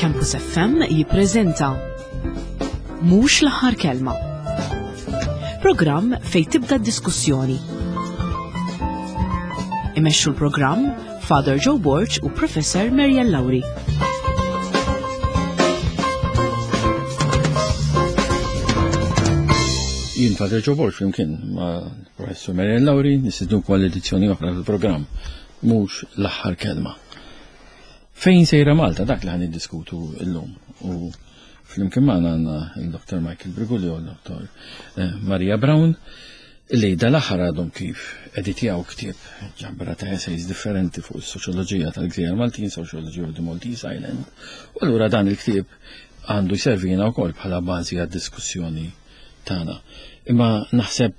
Campus FM jippreżenta Mhux l-aħħar kelma. Programm fejn tibda d-diskussjoni. Imexxu l-programm Father Joe Borg u Professor Marian Lauri. Jien Father Joe Borg flimkien ma' Professor Marian Lauri nistidnukom għal edizzjoni oħra tal-programm Mhux l-aħħar kelma. Fejn sejra Malta dak li ħan niddiskutu llum u flimkien magħna għandna il-Dr. Michael Brigulio u l-Dr. Eh, Maria Brown li dal-aħħar għadhom kif editjaw ktieb ġabra ta' essays differenti fuq is-soċjoloġija tal-Gżejjer Maltin, Sociology of the Maltese Island. U allura dan il-ktieb għandu jservina wkoll bħala bażi għad-diskussjoni tagħna. Imma naħseb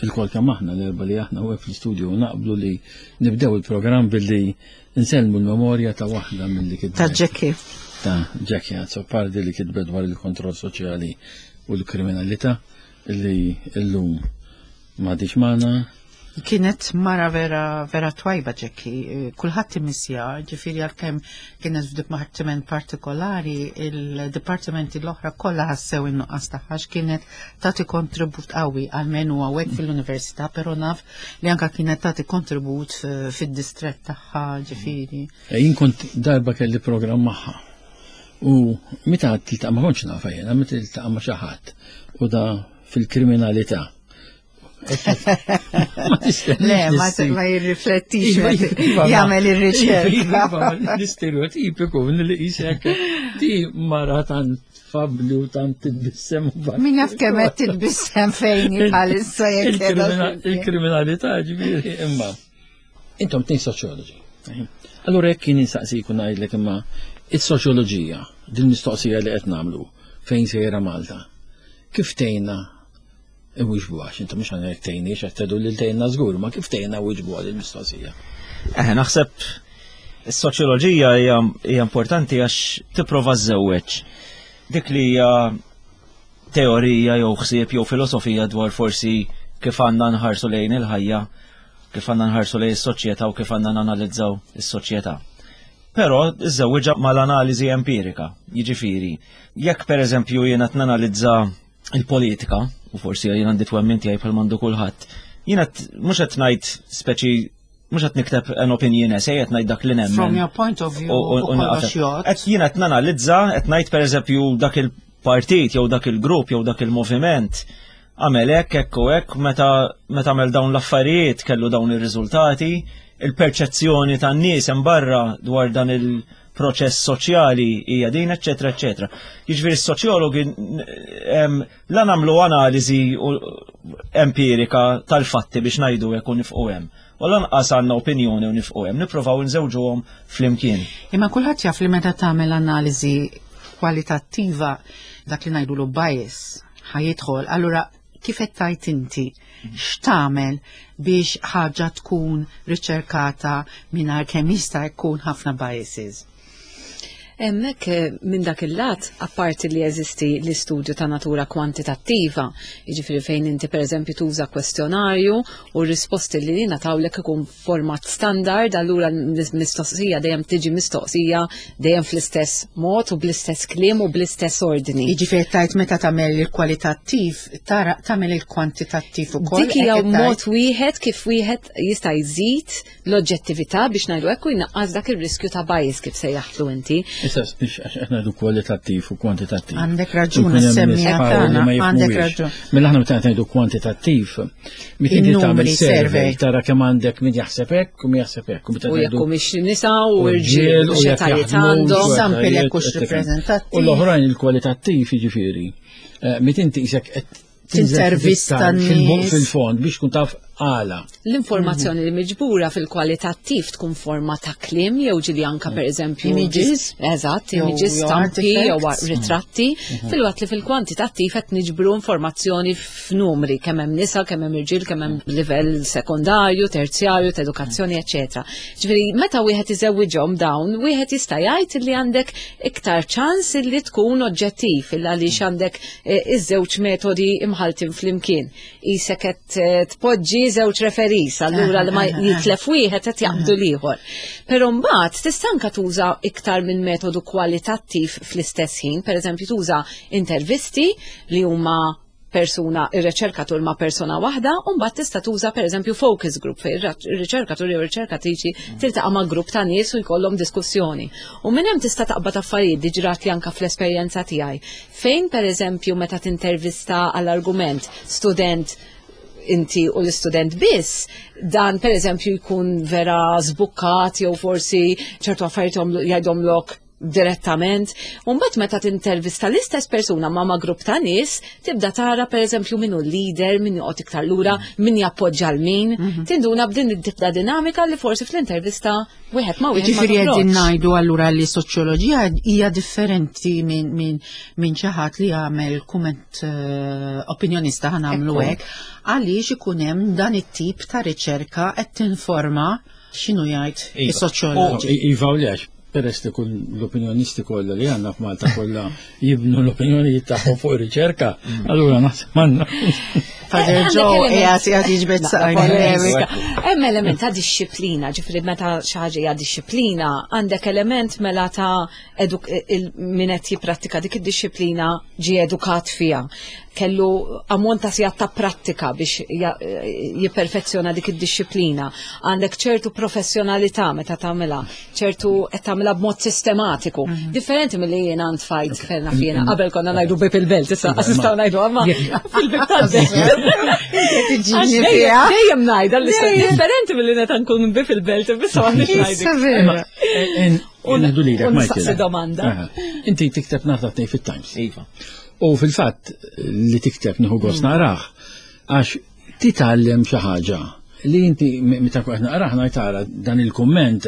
il-kol kemm aħna l-erba li aħna u fl-istudio naqblu li nibdew il-programm billi nsellmu l-memorja ta' waħda mill-li kitbet. Ta' Jackie. Ta' Jackie Azzopardi li kitbet dwar il-kontroll soċjali u l-kriminalità li llum m'għadix magħna. Kienet mara vera vera twajba Jackie, kulħadd imissja, ġifieri għalkemm kienet f'dipartiment partikolari, il-dipartimenti l-oħra kollha ħassew in-nuqqas tagħha kienet tagħti kontribut qawwi għalmenu hawnhekk fil-università, però naf li anka kienet tagħti kontribut fid-distrett tagħha ġifieri. Eh, jien kont darba kelli programm magħha. U meta tiltaqa' ma kontx nafa jiena, meta tiltaqa' ma' xi ħadd u da fil-kriminalità. Le, ma jirriflettix, iva, iva, jagħmel ir-riċerka. Iva, l-istereotipiku li jisek di mara tant fabli u tant titbissem. Min jaf kemm qed titbissem fejn bħalissa jekk Il-kriminalità ġifieri imma. Intom tnejn soċjoloġi. Allura jekk kien insaqsik u ngħidlek imma is-soċjoloġija, din mistoqsija li qed nagħmlu fejn sejra Malta. Kif tgħinna Iwieġbu għax intom mhux għandek tgħinni qed tgħidu lil tgħinna żgur, ma kif tgħinna wieġbu għal il-mistoqsija. Eh, naħseb is-soċjoloġija hija importanti għax tipprova żżewweġ dik li hija teorija jew ħsieb jew filosofija dwar forsi kif għandna nħarsu lejn il-ħajja, kif għandna nħarsu lejn is-soċjetà u kif għandna nanalizzaw is-soċjetà. Però iżżewwiġha mal-analiżi empirika, jiġifieri, jekk pereżempju jiena nanalizza il-politika, u forsi jien għandi twemmin tiegħi bħal mandu kulħadd, jiena mhux qed ngħid speċi mhux qed nikteb an opinion essay qed ngħid dak li nemmen. From your point of view, u kollox jgħod. Qed jiena qed nanalizza, qed ngħid pereżempju dak il-partit jew dak il-grupp jew dak il-moviment għamel hekk hekk u hekk meta meta għamel dawn l-affarijiet kellu dawn ir-riżultati, il-perċezzjoni tan-nies hemm barra dwar dan il- proċess soċjali hija din, eċetera, eċetera. Jiġifieri s-soċjologi la nagħmlu analiżi empirika tal-fatti biex ngħidu hekk u nifqu hemm. U lanqas għandna opinjoni u nifqu hemm, nippruvaw nżewġuhom flimkien. Imma kulħadd jaf li meta tagħmel analiżi kwalitattiva dak li ngħidulu bias ħajidħol, allura kif qed tgħid inti x'tagħmel biex ħaġa tkun riċerkata mingħajr kemm jista' jkun ħafna biases? Hemmhekk eh, minn dak il-lat, apparti li jeżisti l-istudju ta' natura kwantitattiva, jiġifieri fejn inti pereżempju tuża kwestjonarju u r-risposti li jingħatawlek ikun format standard, allura l-mistoqsija dejjem tiġi mistoqsija dejjem fl-istess mod u bl-istess kliem u bl-istess ordni. Jiġifieri tajt meta tagħmel il-kwalitattiv, tara tagħmel il-kwantitattiv ukoll. Dik hija mod wieħed kif wieħed jista' jżid l-oġġettività biex ngħidu hekk u jnaqqas dak ir-riskju ta' bias kif sejjaħtlu inti. Issa biex għax qed ngħidu kwalitattiv u kwantitattiv. Għandek raġun semmija tagħna, għandek raġun. Mela aħna meta ngħidu kwantitattiv, meta inti tagħmel survey tara kemm għandek min jaħseb hekk u min jaħseb hekk. U jekk humiex nisa u rġiel u x'etajiet għandhom. Sample jekk hux rappreżentattiv. U l-oħrajn il-kwalitattiv jiġifieri. Eh, meta inti qisek qed tintervista fil-fond biex tkun taf għala. L-informazzjoni li miġbura fil-kwalitattiv tkun forma ta' kliem jew ġili anka per eżempju images, eżatt, images, stampi jew ritratti, mhm. filwaqt li fil-kwantitattiv qed niġbru informazzjoni f'numri kemm hemm nisa, kemm hemm irġiel, kemm hemm livell sekondarju, terzjarju, ta' edukazzjoni, eċetera. Ġifieri meta wieħed iżewwiġhom dawn, wieħed jista' jgħid li għandek iktar ċans li tkun oġġettiv il għaliex għandek eh, iż-żewġ metodi imħaltin flimkien. Isek qed eh, tpoġġi żewġ referis, allura li ma jitlef wieħed qed jaqbdu l-ieħor. Però mbagħad tista' anke tuża iktar minn metodu kwalitattiv fl-istess ħin, pereżempju tuża intervisti li huma persuna, ir-riċerkatur ma' persuna waħda, u mbagħad tista' tuża pereżempju focus group fejn ir-riċerkatur jew riċerkatriċi tiltaqa' ma' grupp ta' nies u jkollhom diskussjoni. U minn hemm tista' taqbad affarijiet diġrat li anke fl-esperjenza tiegħi. Fejn pereżempju meta tintervista għall-argument student inti u l-istudent biss, dan per eżempju jkun vera zbukkat jew forsi ċertu affarijiet jgħidhomlok direttament. Umbat meta tintervista l-istess persuna ma' ma' grupp ta' nies, tibda tara per eżempju min hu leader, min joqgħod iktar lura, min jappoġġa l min, tinduna b'din it-tip ta' dinamika li forsi fl-intervista wieħed ma' wieħed. Ġifieri qegħdin ngħidu allura li soċjoloġija hija differenti minn min, min xi ħadd li jagħmel kumment eh, opinjonista ħa nagħmlu hekk, għaliex ikun hemm dan it-tip ta' riċerka qed tinforma x'inhu jgħid Iva. is-soċjoloġi. Iva u lex, peress li kull l-opinjonisti kollha li għandna f'Malta kollha jibnu l-opinjonijiet tagħhom fuq ir-riċerka, allura naħseb m'għandna. Father Għandek Joe element- qiegħed qiegħed jiġbed saqajn. Polemika. Hemm element ta' dixxiplina, ġifieri meta xi ħaġa hija dixxiplina, għandek element mela ta' eduk min qed jipprattika dik id-dixxiplina ġie edukat fiha. Kellu ammont ta' sigħat ta' prattika biex jipperfezzjona dik id-dixxiplina. Għandek ċertu professjonalità meta tagħmilha, ċertu qed tagħmilha b'mod sistematiku. Differenti milli jiena ntfajt ferna fjena. Qabel konna ngħidu bib il-belt, issa nistgħu ngħidu amma fil-bib tal-belt. Tiġini Għax fiha. Dejjem ngħidha l-istess differenti milli meta nkun bib il-belt, issa m'għandniex ngħidu. Issa vera. Ngħidu lilek, U Michael. nistaqsi domanda. Aha. Inti tikteb nhar ta' tnejn fit-Times. Iva. U fil-fatt li tikteb nieħu gost naqrah għax titgħallem xi ħaġa li inti meta qed naqrah ngħid tara dan il-kumment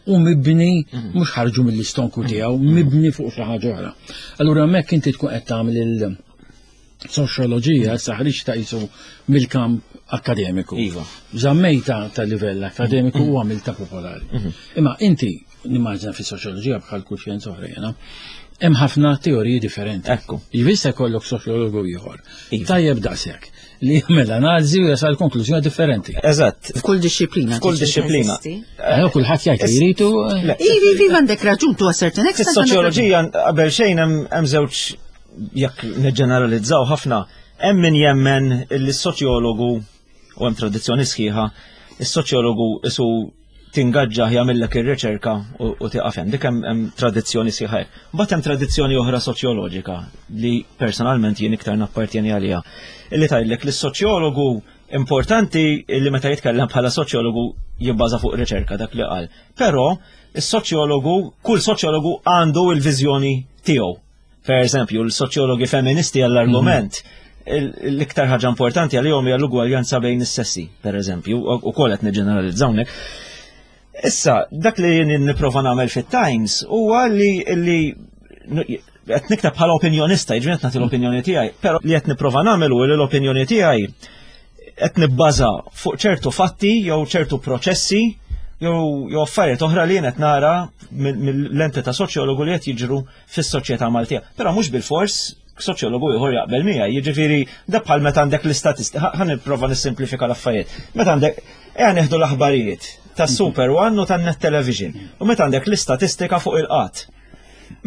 u mibni mhux ħarġu mill-istonku tiegħu, mibni fuq xi ħaġa oħra. Allura hemmhekk inti tkun qed tagħmel il-soċjoloġija issa ħriġ ta' qisu mill-kamp akkademiku. Iva. Żammejta ta' livell akkademiku u għamilta popolari. Imma inti nimmaġina fis-soċjoloġija bħal kull xjenza oħra jiena, hemm ħafna teoriji differenti. Ekku. Jista' jkollok soċjologu ieħor. Iva. Tajjeb daqshekk li jagħmel analiżi u jasal konklużjoni differenti. Eżatt. F'kull dixxiplina. F'kull dixxiplina. Eżisti. Kulħadd jgħid li jridu. Le, Ivi, ivi, għandek raġun tu a certain extent. għandek raġun. Fis-soċjoloġija qabel xejn hemm żewġ jekk niġġeneralizzaw ħafna, hemm min jemmen li s-soċjologu u hemm tradizzjoni sħiħa, is-soċjologu isu tingaġġa jagħmellek ir-riċerka u tieqaf hemm. Dik hemm tradizzjoni sħiħa hekk. Mbagħad hemm tradizzjoni oħra soċjoloġika li personalment jien iktar nappartjeni għaliha. Illi tgħidlek li s-soċjologu importanti li meta jitkellem bħala soċjologu jibbaża fuq riċerka dak li qal. Però is-soċjologu, kull soċjologu għandu l-viżjoni tiegħu. Per eżempju, l-soċjologi feministi għall-argument, l-iktar ħaġa importanti għalihom hija l-ugwaljanza bejn is-sessi, per eżempju, u kol qed niġġeneralizzaw hawnhekk. Issa, dak li jien nipprova nagħmel fit-Times huwa li qed nikteb bħala opinjonista, jiġifieri qed nagħti l-opinjoni tiegħi, però li qed nipprova nagħmel hu li l-opinjoni tiegħi qed nibbaża fuq ċertu fatti jew ċertu proċessi jew affarijiet oħra li jien qed nara mill-lente ta' soċjologu li qed jiġru fis-soċjetà Maltija. Però mhux bil-fors soċjologu ieħor jaqbel miegħi, jiġifieri da bħal meta għandek l-istatistika, ħa nipprova nissimplifika l-affarijiet. Meta għandek ejja nieħdu l-aħbarijiet ta' Super One u tan Net Television u meta għandek l-istatistika fuq il-qatt.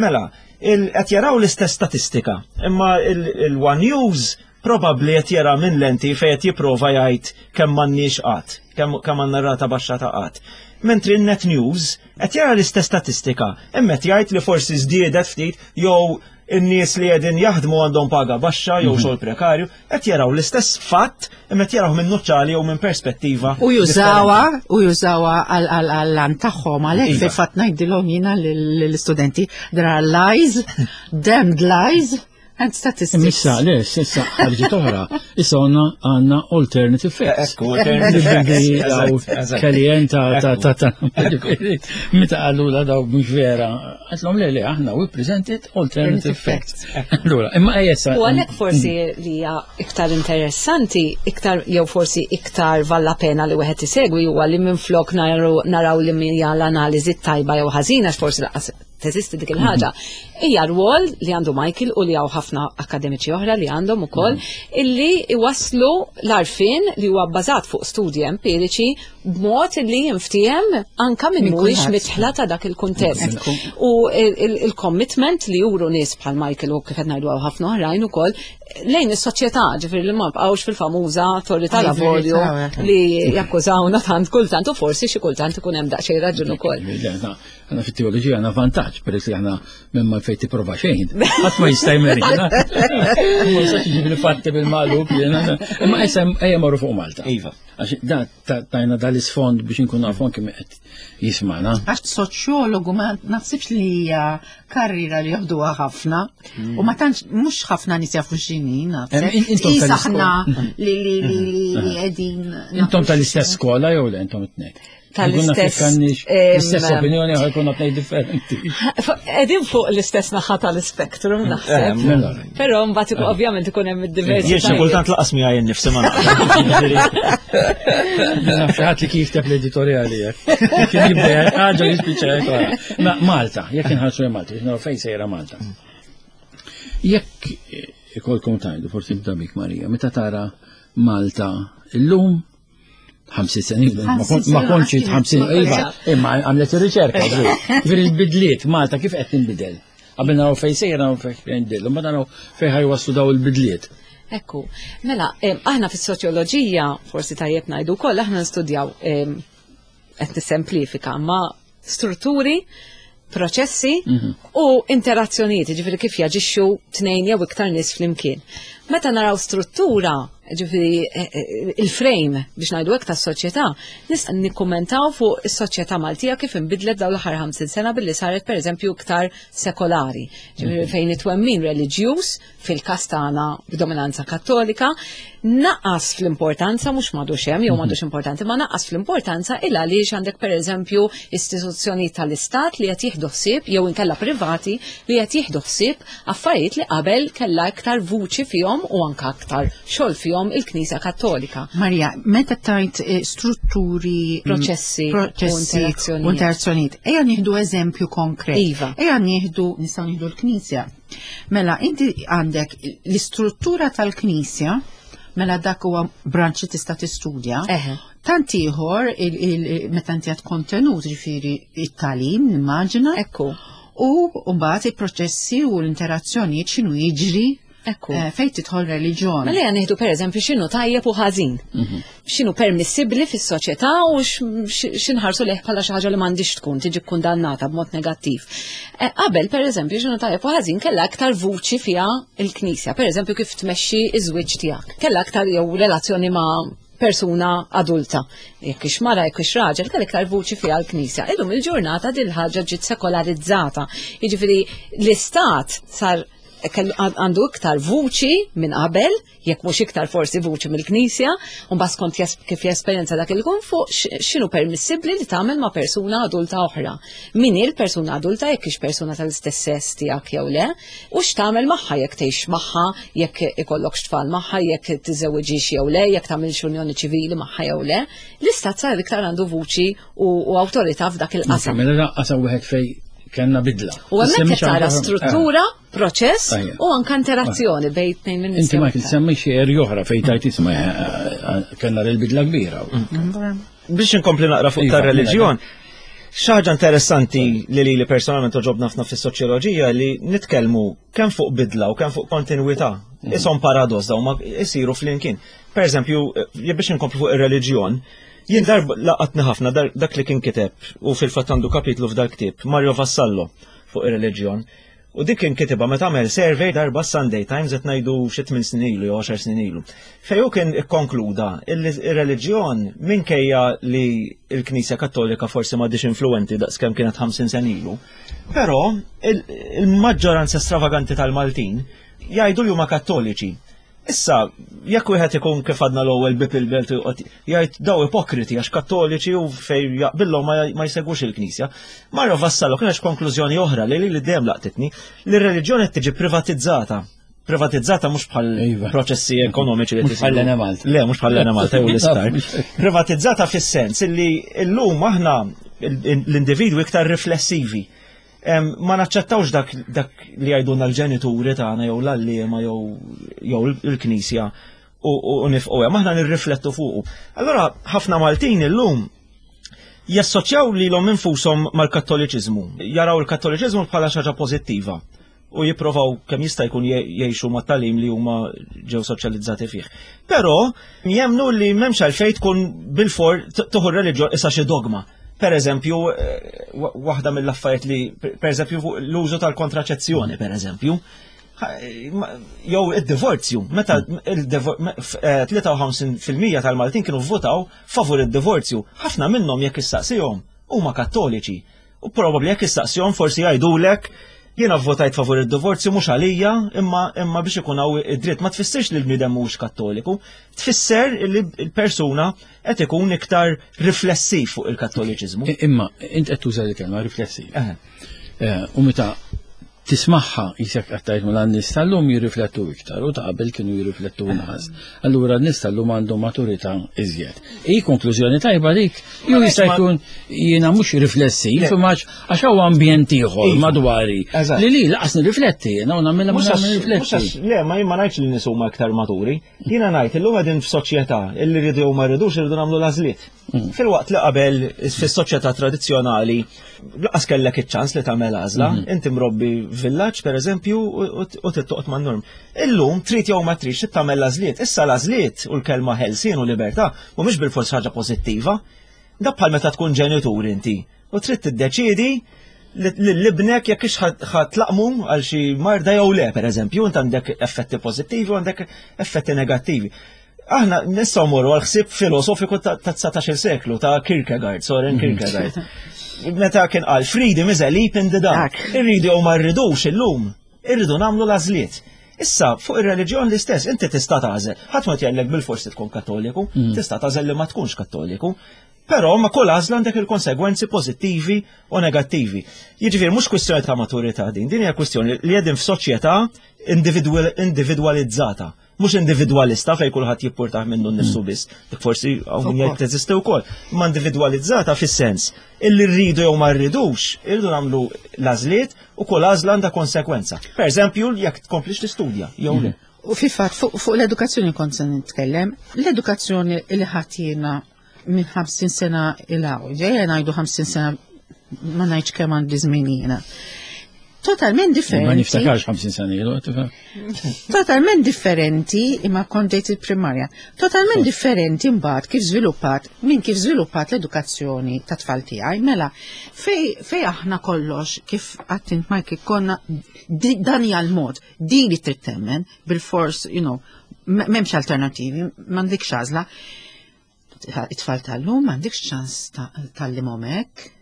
Mela, qed jaraw l-istess statistika, imma il-One News probabbli qed jara minn lenti fejn qed jipprova jgħid kemm m'għandniex qatt, kemm għandna rata baxxa ta' qatt. Mentri n-Net News qed jara l-istess statistika, imma qed jgħid li forsi żdiedet ftit jew in-nies li qegħdin jaħdmu għandhom paga baxxa jew xogħol prekarju, qed jaraw l-istess fatt imma qed jaraw minn nuċċali jew minn perspettiva. U jużawha, u jużawha għall-għan tagħhom għalhekk fil-fatt ngħidilhom jiena lill-istudenti there are lies, damned lies and statistics. Issa, le, issa ħarġet oħra. Issa għandna alternative facts. Ekku, alternative facts. Eżatt. Kellyanne ta' ta' ta' meta qalu la daw mhux vera. Għedtlhom le, le, aħna we presented alternative facts. Allura, imma ejja issa. U għalhekk forsi li hija iktar interessanti, iktar jew forsi iktar valla pena li wieħed isegwi huwa li minflok naraw li hija l-analiżi tajba jew ħażina forsi laqas teżisti dik il-ħaġa. Hija rwol li għandu Michael u li hawn ħafna akademiċi oħra li għandhom ukoll mhm. illi iwasslu l-arfin li huwa bbażat fuq studji empiriċi b'mod li jinftiehem anka minn mhuwiex mitħla ta' dak il-kuntest. U il-commitment li juru nies bħal Michael u kif qed ngħidu ħafna oħrajn ukoll lejn is-soċjetà, ġifieri li ma bqgħux fil-famuża torri tal-avolju li jakkużawna tant kultant u forsi xi kultant ikun hemm daqsxejn raġun ukoll. Għana fit-teoloġija għandna vantaġġ peress li aħna minn ma fejn tipprova xejn. Ħadd ma jista' jmerina. Ma jistax iġib il-fatti bil-magħlub jiena. Imma issa ejja morru fuq Malta. Iva. Għax da tajna dal-isfond biex inkun nafu anke qed jismana. Għax soċjologu ma naħsibx li hija karriera li joħduha ħafna mm. u ma tantx mhux ħafna nies jafu x'inhi naħseb. Intom aħna li li li li qegħdin. Intom tal-istess skola jew le intom it-tnejn? tal-istess. L-istess opinjoni għaj konna tnej differenti. Edin fuq l-istess naħa tal-spektrum eh, naħseb. Mela. Però mbagħad ovvjament ikun hemm id-diversità. Jien xi kultant laqas miegħi nnifsi ma Naf xi ħadd li kif teb l-editorjali jekk. Kien jibda ħaġa jispiċċa jekk. Malta, jekk inħarsu Malta, biex naraw fejn sejra Malta. Jekk ikolkom tajdu, forsi nibda bik Marija, meta tara Malta illum 50 snin, ma kontx 50, iva, imma għamlet ir-riċerka. Ġifieri il-bidliet Malta kif qed tinbidel? Qabel naraw fejn sejra naraw fejn tinbidel, imma naraw fejn ħajwaslu daw il-bidliet. Ekku, mela, aħna fis-soċjoloġija, forsi tajjeb ngħidu wkoll, aħna nistudjaw qed nissemplifika, ma strutturi, proċessi mhm. u interazzjonijiet, ġifieri kif jaġixxu tnejn jew iktar nies flimkien. Meta naraw struttura, ġifieri eh, eh, il-frame biex ngħidu hekk tas-soċjetà, nista' nikkummentaw fuq is-soċjetà Maltija kif inbidlet dawn l-aħħar 50 sena billi saret pereżempju iktar sekolari, ġifieri mhm. fejn it-twemmin reliġjuż fil-każ tagħna b'dominanza kattolika, naqas fl-importanza mhux m'għadux hemm jew m'għadux mhm. importanti, ma naqas fl-importanza il għaliex għandek pereżempju istituzzjoni tal-istat li qed jieħdu ħsieb jew inkella privati li qed jieħdu ħsieb affarijiet li qabel kellha iktar vuċi fihom u anke aktar xogħol fihom il-Knisja Kattolika. Marja, meta tajt eh, strutturi, mm, proċessi, proċessi u interazzjonijiet, ejja nieħdu eżempju konkret. Iva. Ejja nieħdu nistgħu nieħdu l-Knisja. Mela, inti għandek l-istruttura tal-Knisja, mela dak huwa branċ li tista' tistudja. Tant ieħor meta inti għad kontenut, ġifieri it-tagħlim, nimmaġina. Ekku. U mbagħad il-proċessi u l-interazzjonijiet x'inhu jiġri Ekku. Eh, fejn tidħol reliġjon. Mela ejja nieħdu pereżempju x'inhu tajjeb u ħażin. Mhm. X'inhu permissibbli fis-soċjetà u x'inħarsu leh bħala xi ħaġa li m'għandix tkun tiġi kkundannata b'mod negattiv. Eh, qabel pereżempju x'inhu tajjeb u ħażin kellha aktar vuċi fiha l-Knisja, pereżempju kif tmexxi iż-żwieġ tiegħek. Kellha aktar jew relazzjoni ma' persuna adulta. Jekk ix mara, jekk ix raġel, kell iktar vuċi fiha l-Knisja. Illum il-ġurnata din ħaġa ġiet sekolarizzata. Jiġifieri l-istat sar għandu iktar vuċi minn qabel, jekk mhux iktar forsi vuċi mill-Knisja, u mbagħad skont kif jesperjenza dak il-kun fuq x'inhu permissibbli li tagħmel ma' persuna adulta oħra. Min hi l-persuna adulta jekk hix persuna tal-istess sess tiegħek jew le, u x'tagħmel magħha jekk tgħix magħha, jekk ikollok tfal magħha, jekk tiżewwiġix jew le, jekk tagħmilx unjoni ċivili magħha jew le. L-istat sar iktar għandu vuċi u awtorità f'dak il-qasam. Mela qasam wieħed fej kellna bidla. U hemmhekk qed tara struttura, proċess u anke interazzjoni bejn tnejn minn Inti ma semmi xi erja oħra fejn tajt isma' eh, eh, kellna l-bidla kbira. Mm. Biex inkompli naqra fuq tar reliġjon, xaġa interessanti li li personalment toġobna ħafna fis-soċjoloġija li nitkellmu kemm fuq bidla u kemm fuq kontinwità. Mm. Isom paradoss daw ma jsiru flimkien. Per eżempju, eh, biex inkompli fuq ir-reliġjon, Jien darba laqatni ħafna dak li kien kiteb u fil-fatt għandu kapitlu f'dal ktieb Mario Vassallo fuq ir-reliġjon. U dik kien kitibha meta għamel survey darba Sunday Times qed ngħidu xi tmien snin ilu jew għaxar snin ilu. Fejn hu kien ikkonkluda li r-reliġjon minkejja li l-Knisja Kattolika forsi m'għadhiex influwenti daqskemm kienet 50 sena ilu, però il-maġġoranza stravaganti tal-Maltin jgħidu li huma Kattoliċi. Issa, jekk wieħed ikun kif għadna l-ewwel bib il-belt jgħid daw ipokriti għax kattoliċi u fej jaqbillhom ma jsegwux il-Knisja. Mario Vassallo kien konklużjoni oħra li li dejjem laqtitni li r-reliġjoni qed tiġi privatizzata. Privatizzata mhux bħal iva. proċessi ekonomiċi li Mhux bħal Malta. Le, mhux bħal Malta jew l-isptar. Privatizzata fis-sens illi llum aħna l-individwi iktar riflessivi. Ma naċċettawx dak, dak li jgħidulna l-ġenituri tagħna jew l-għalliema jew jew il-knisja u, u, u nifqu hemm, aħna nirriflettu fuqu. Allura ħafna Maltin illum jassoċjaw lilhom infushom mal-Kattoliċiżmu, jaraw il-Kattoliċiżmu bħala xi ħaġa pożittiva u jipprovaw kemm jista' jkun jgħixu mat-tagħlim li huma ġew soċjalizzati fih. Però jemmnu li m'hemmx għalfejn tkun bilfor tieħu r-reliġjon issa xi dogma. Per eżempju, eh, waħda mill-affarijiet li, per eżempju, l-użu tal-kontraċezzjoni, per eżempju, jew id-divorzju, meta 53% eh, tal-Maltin kienu votaw favur id-divorzju, ħafna minnhom jekk issaqsihom huma kattoliċi. U probabbli jekk issaqsihom forsi jgħidulek jiena vvotajt favur id-divorzju mhux għalija imma imma biex ikun hawn id-dritt. Ma tfissirx li l-bniedem mhux kattoliku, tfisser li l-persuna qed ikun iktar riflessiv fuq il-kattoliċiżmu. Imma int qed tuża l-kelma riflessiv. Eh, u meta tismagħha qisek qed tgħid mela n-nies tal-lum jirriflettu iktar u ta' qabel kienu jirriflettu inqas. Allura n-nies tal-lum għandhom maturità iżjed. Hi konklużjoni tajba dik, jew jista' jkun jiena mhux riflessiv imma għax hawn ambjent ieħor iva. madwari li li laqas nirrifletti jiena u nagħmilha ma nirrifletti. Le, ma jien ma ngħidx li nies huma iktar maturi. Jiena ngħid illum qegħdin f'soċjetà illi rridu jew ma rridux irridu nagħmlu l-għażliet. Filwaqt li qabel fis-soċjetà tradizzjonali laqas kellek iċ-ċans li tagħmel għażla, mhm. inti mrobbi villaġġ pereżempju u tittoqgħod man-norm. Illum trid jew ma tridx trid tagħmel l-għażliet. Issa l-għażliet u l-kelma ħelsien u libertà mhumiex bilfors ħaġa pożittiva. Da bħal meta tkun ġenitur inti u trid tiddeċiedi l-ibnek jekk ix ħatlaqmu għal xi marda jew le, pereżempju, int għandek effetti pożittivi u għandek effetti negattivi. Aħna nistgħu morru għal ħsieb filosofiku ta' 19 seklu ta' Kierkegaard, Soren mhm. Kierkegaard. Meta kien qal freedom is a leap in the dark. Irridu jew ma rridux illum, irridu nagħmlu l-għażliet. Issa, fuq ir-reliġjon l-istess, inti tista' tagħżel. Ħadd ma tjellek bil-forsi tkun kattoliku, mm. tista' tagħżel li ma tkunx kattoliku. Però ma kull għażla għandek il-konsegwenzi pożittivi u negattivi. Jiġifieri mhux kwistjoni ta' maturità din, din hija kwistjoni li qegħdin f'soċjetà individwalizzata. Mhux individwalista fejn kulħadd jippurtah minnu nnifsu mm. biss, dik forsi hawn min jgħid teżisti wkoll, imma individwalizzata fis-sens illi rridu jew ma rridux, irridu nagħmlu l-għażliet u kull għażla għandha konsegwenza. Per eżempju, jekk tkomplix tistudja jew le. Mm. U fil-fatt fuq l-edukazzjoni kont se nitkellem, l-edukazzjoni li ħadd jiena minn 50 sena il-għaw, ġejja ngħidu 50 sena ma ngħidx kemm għandi żmien jiena. Totalment differenti. Ma niftakarx 50 sena ilu, tifhem. Totalment differenti imma kont dejt il-primarja. Totalment differenti mbagħad kif żviluppat minn kif żviluppat l-edukazzjoni ta' tfal tiegħi. Mela, fej, fej aħna kollox kif għattint Mike konna dan hija l-mod, din li trid temmen bil-fors, you know, m'hemmx alternativi, m'għandikx għażla. It-tfal tal-lum m'għandikx ċans tal-limhom hekk.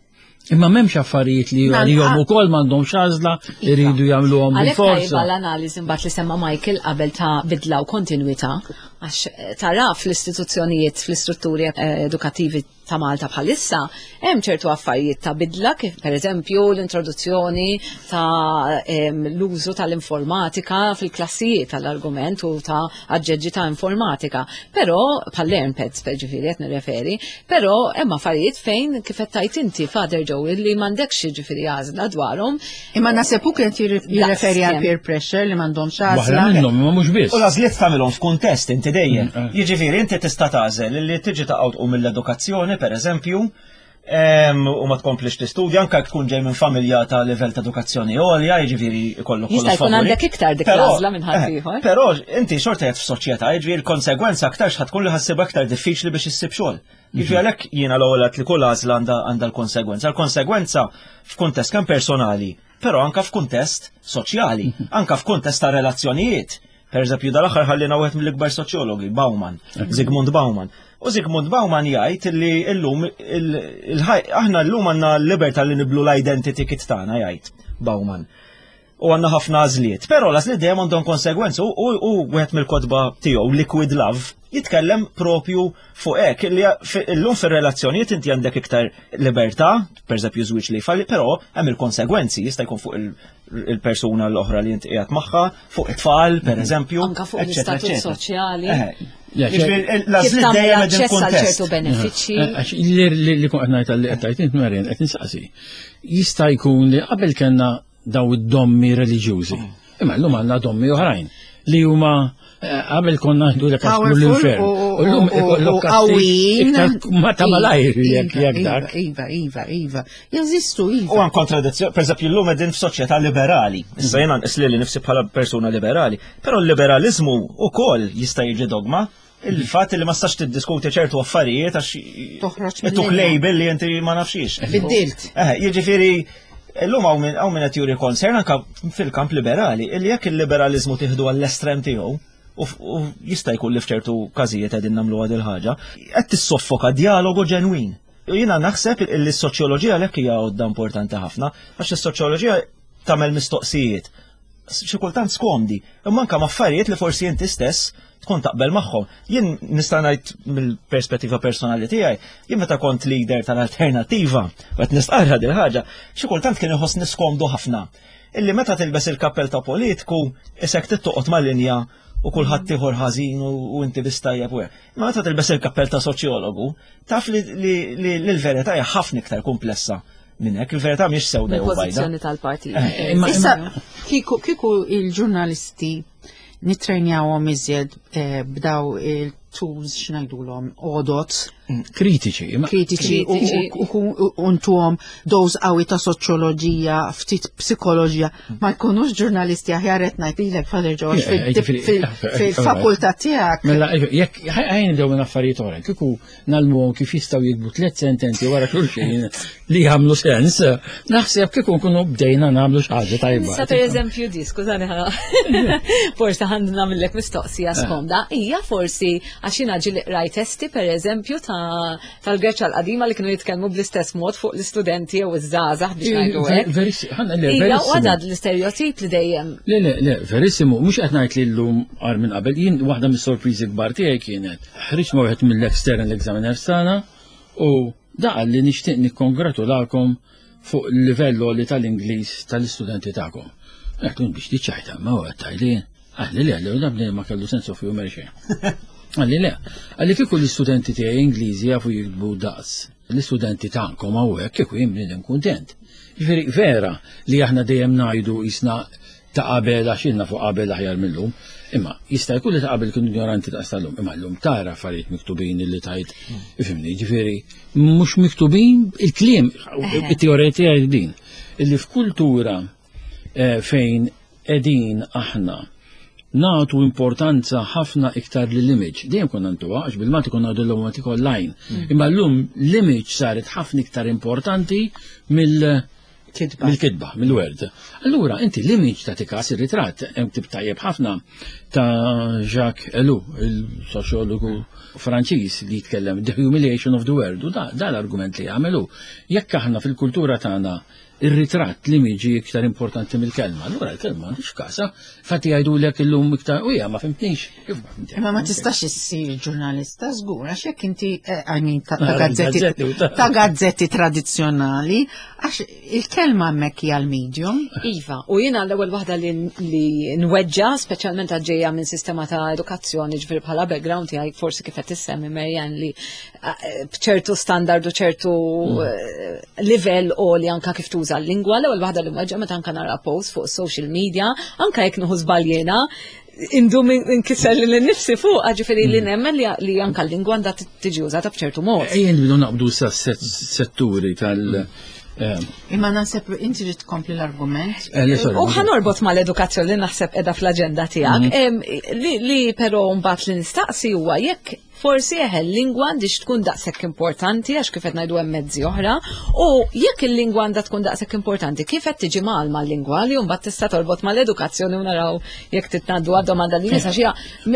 Imma m'hemmx affarijiet li għalihom ukoll m'għandhomx għażla iva. iridu jagħmluhom bil-forza. L-analiżi mbagħad li semma Michael qabel ta' bidla u kontinwità għax eh, tara fl-istituzzjonijiet fl-istrutturi eh, edukattivi ta' Malta bħalissa, hemm ċertu affarijiet ta' bidla kif pereżempju l-introduzzjoni ta' l-użu tal-informatika fil-klassijiet tal-argument u ta' aġġeġġi ta' informatika. Però bħal learnpads ġifieri qed nirreferi, però hemm affarijiet fejn kif qed tajt inti Father Joe li m'għandekx ġifieri għażla dwarhom. Imma naħseb hu kien jirreferi għal peer pressure li m'għandhomx għażla. Waħda minnhom, imma mhux biss. U l-għażliet tagħmilhom f'kuntest inti dejjem. Mm, eh. Jiġifieri inti tista' tagħżel li tiġi taqgħu mill-edukazzjoni pereżempju, u ma tkomplix tistudja anke tkun ġej minn familja ta' livell ta' edukazzjoni għolja, jiġifieri ikollok Jista' jkun għandek iktar dik l-għażla minn ħadd eh, ieħor. Però inti xorta qed f'soċjetà, jiġifieri l-konsegwenza aktar tkun li ħassibha aktar diffiċli biex issib xogħol. Jiġifieri għalhekk jiena l-ewwel li kull għażla għandha l-konsegwenza. L-konsegwenza f'kuntest kemm personali, però anka f'kuntest soċjali, mhm. anka f'kuntest ta' relazzjonijiet. Per eżempju, dal-aħħar ħallina wieħed mill-ikbar soċjologi, Bauman, mhm. Zygmunt Bauman. U Zygmunt Bauman jgħid li llum aħna llum għandna l-libertà li niblu l-identity kit tagħna jgħid Bauman. U għandna ħafna għażliet. Però l-għażliet dejjem għandhom konsegwenzi u wieħed mill-kotba tiegħu Liquid Love jitkellem propju fuq hekk li llum fir-relazzjonijiet inti għandek iktar libertà, pereżempju żwieġ li jfalli, però hemm il-konsegwenzi jista' jkun fuq il-persuna l-oħra li inti qiegħed magħha, fuq it-tfal, pereżempju. Anka fuq l-istatut soċjali. L-għażliet dejjem qegħdin kuntest. ċertu benefiċċji. Għax li kun qed ngħid li qed tgħid int Marian qed insaqsi. Jista' jkun li qabel kellna daw id-dommi reliġjużi. Imma llum għandna dommi oħrajn li huma qabel konna ngħidu lek għax l-infern. U llum ikollok qawwijin. Ma ta' malajr jekk jekk dak. Iva, iva, iva. Jeżistu, iva. U għan kontradizzjoni, per eżempju, llum qegħdin f'soċjetà liberali. Issa jiena nqis lili nifsi bħala persuna liberali, però l-liberaliżmu wkoll jista' jiġi dogma. Il-fatt li ma stax tiddiskuti ċertu affarijiet għax Toħroġ tuk mill-linja. label li inti ma nafxiex. Biddilt. Eh, jiġifieri illum hawn min hawn min qed juri concern anke fil-kamp liberali, illi jekk il-liberaliżmu tieħdu għall-estrem tiegħu, u f- u jista' jkun li f'ċertu każijiet qegħdin nagħmlu għad il-ħaġa, qed tissoffoka dialogu ġenwin. U jiena naħseb li s-soċjoloġija għalhekk hija għodda importanti ħafna, għax is-soċjoloġija tagħmel mistoqsijiet xi kultant skomdi, imma anke affarijiet li forsi inti stess tkun taqbel magħhom. Jien nista' ngħid mill-perspettiva personali tiegħi, jien meta kont leader tal-alternattiva, u qed nistqarra din ħaġa, xi kultant kien iħossni skomdu ħafna. Illi meta tilbes il-kappell ta' politiku, isek tittoqgħod mal-linja u kulħadd ieħor ħażin u inti biss tajjeb u hekk. Imma meta tilbes il-kappell ta' soċjologu, taf li l-verità hija ħafna iktar komplessa minn hekk, il-verità mhix sewda jew bajda. Mill-pożizzjoni tal-partit. Issa, kieku il-ġurnalisti nitrenjawhom iżjed b'daw il-tools x'ngħidulhom għodot. Kritiċi. Kritiċi u ntuhom doż qawwi ta' soċjoloġija, ftit psikoloġija, ma jkunux ġurnalisti aħjar qed ngħidilek Father George fil-fakultà tiegħek. Mela, jekk ħajn nibdew minn affarijiet oħra, kieku nagħlmuhom kif jistgħu jiktbu tliet sentenzi wara xulxin li jagħmlu sens, naħseb kieku nkunu bdejna nagħmlu xi ħaġa tajba. Issa pereżempju di, skużani ħa. Forsi ħa nagħmillek mistoqsija skomda, hija forsi għax jiena ġieli qrajt testi pereżempju tal-Greċja l-qadima li kienu jitkellmu bl-istess mod fuq l-istudenti jew iż-żgħażagħ biex ngħidu hekk. Hija u għadha l-istereotip li dejjem. Le, le, le, verissimu, mhux qed ngħid li llum agħar minn qabel, jien waħda mis-sorpriżi kbar tiegħi kienet ħriġt ma' wieħed mill-external examiners tagħna u da qal li nixtieq nikkongratulakom fuq il-livell għoli tal-Ingliż tal-istudenti tagħkom. Għedt biex tiċċajta, ma huwa qed tgħidli. Qalli le, le, da bniedem ma kellu sense of humor xejn. Qalli le, qalli kieku l-istudenti tiegħi Ingliżi jafu jiktbu daqs l-istudenti tagħkom hawnhekk kieku jien bniedem kuntent. Jiġifieri vera li aħna dejjem ngħidu jisna ta' qabel għax ilna fuq qabel aħjar mil-lum, imma jista' jkun li ta' qabel kienu ignoranti daqs tal-lum, imma llum tara affarijiet miktubin li tajt, ifhimni, ġifieri mhux miktubin il-kliem, it-teorija tiegħi din, illi f'kultura eh, fejn qegħdin aħna nagħtu importanza ħafna iktar lill-image. Dejjem konna ntuha, għax bil-Malti konna ngħidu l-lum online. Imma llum l-image saret ħafna iktar importanti mill- Kitba. Mill-kitba, mill-word. Allura, inti l-image ta' tikas ir-ritratt, hemm tip tajjeb ħafna ta' Jacques Ellul, il-soċjologu Franċiż li jitkellem The Humiliation of the Word, u da, da l-argument li jagħmelu. Jekk aħna fil-kultura tagħna ir-ritratt l-image iktar importanti mill-kelma, allura l-kelma m'għandix kasa, fatti jgħidulek illum iktar, u ma fimtnix. Kif ma fimtnix? Imma ma tistax issir ġurnalista żgur, għax jekk inti, I mean, ta' Ah, gazzetti, gazzetti u ta' ta' gazzetti tradizzjonali, għax il-kelma hemmhekk hija l-medium. Iva, u jiena l-ewwel waħda li li nweġġa, speċjalment għaġġejja minn sistema ta' edukazzjoni, ġifieri bħala background tiegħi forsi kif qed issemmi Marianne li b'ċertu standard u ċertu livell għoli anka kif tuża l-lingwa, l-ewwel waħda li nweġġa meta anka nara post fuq social media, anka jekk nieħu żbaljena, indum inkisser li nifsi fuq, ġifieri li nemmen li anka l-lingwa għandha tiġi użata b'ċertu mod. Ejja nibdu naqbdu sa setturi tal- Imma naħseb inti trid tkompli l-argument. Le, sorry. U ħanorbot mal-edukazzjoni li naħseb qiegħda fl-aġenda tiegħek. Li però mbagħad li nistaqsi huwa jekk forsi eħe l-lingwa għandix tkun daqshekk importanti għax kif qed ngħidu hemm mezzi oħra, u jekk il-lingwa għandha tkun daqshekk importanti, kif qed tiġi mgħallma l-lingwa li mbagħad tista' torbot mal-edukazzjoni u naraw jekk titnaddu għad-domanda li nisa xi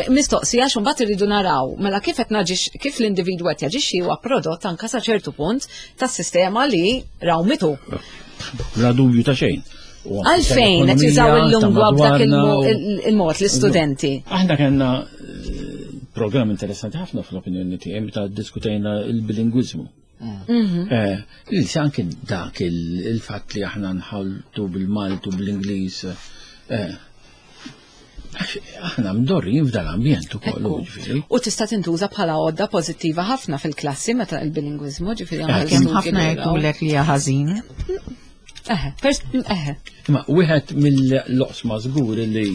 mistoqsija għax mbagħad irridu naraw mela kif qed naġix kif l-individwu qed jaġixxi huwa prodott anke sa ċertu punt tas-sistema li rawmitu. Bla dubju ta' xejn. U anke Għalfejn qed jużaw tal-ekonomija, il-lingwa ta' b'dak madwarna u il-mod l-istudenti? Aħna kellna programm interessanti ħafna fl-opinjoni tiegħi meta diskutejna il-bilingwiżmu. Li se anke dak il-fatt li aħna nħaltu bil-Malti u bl-Ingliż. Għax aħna mdorrijin f'dal-ambjent ukoll, ġifieri. U tista' tintuża bħala għodda pożittiva ħafna fil-klassi meta il-bilingwiżmu, ġifieri anke Kemm ħafna jgħidulek li hija ħażin. Eħe, eħe. Imma wieħed mill-loqsma żgur li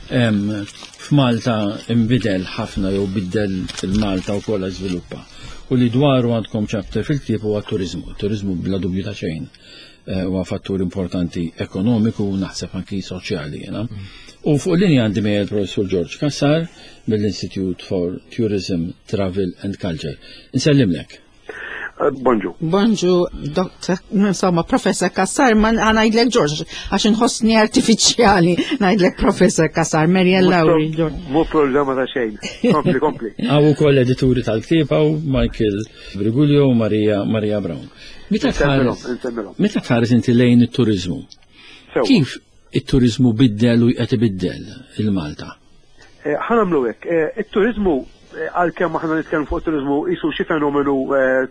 f'Malta imbidel ħafna jew biddel il-Malta wkoll żviluppa. U li dwaru għandkom chapter fil-ktieb huwa t-turiżmu. Turiżmu bla dubju ta' xejn huwa fattur importanti ekonomiku u naħseb anki soċjali jiena. U fuq linja għandi miegħi l-Professur George Cassar mill-Institute for Tourism, Travel and Culture. Nsellimlek. Bonġu. Bonġu, doktor, insomma, Professor Cassar, ma ngħidlek George, għax inħossni artifiċjali ngħidlek Professor Cassar, Marian Lauri. Mu problema ta' xejn. Kompli, kompli. Għaw ukoll edituri tal-ktieb hawn Michael Briguglio u Maria Maria Brown. Meta tħares meta tħares inti lejn it-turiżmu? Kif it-turiżmu biddel u qed ibiddel il-Malta? Ħa nagħmlu hekk, it-turiżmu għalkemm aħna nitkellmu fuq it-turiżmu qisu xi fenomenu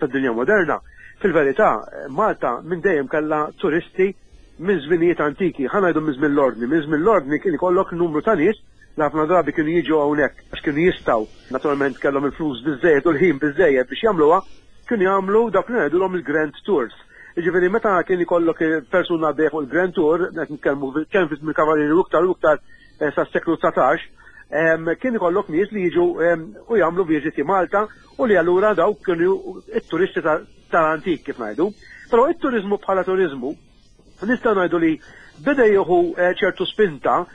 tad-dinja moderna, fil-verità Malta minn dejjem kellha turisti minn żminijiet antiki, ħa ngħidu minn żmien l-Ordni. Minn żmien l-Ordni kien ikollok numru ta' nies li ħafna drabi kienu jiġu hawnhekk għax kienu jistgħu, naturalment kellhom il-flus biżżejjed u l-ħin biżżejjed biex jagħmluha, kienu jagħmlu dawk li ngħidulhom il-grand tours. Jiġifieri meta kien ikollok persuna għaddejja fuq il-grand tour, qed nitkellmu kemm fi żmien Kavallieri u iktar u iktar sas-seklu 19, kien ikollok nies li jiġu u jagħmlu viżiti Malta u li allura dawk kienu it-turisti tal-antik kif ngħidu. Però it-turiżmu bħala turiżmu nistgħu ngħidu li beda jieħu ċertu spinta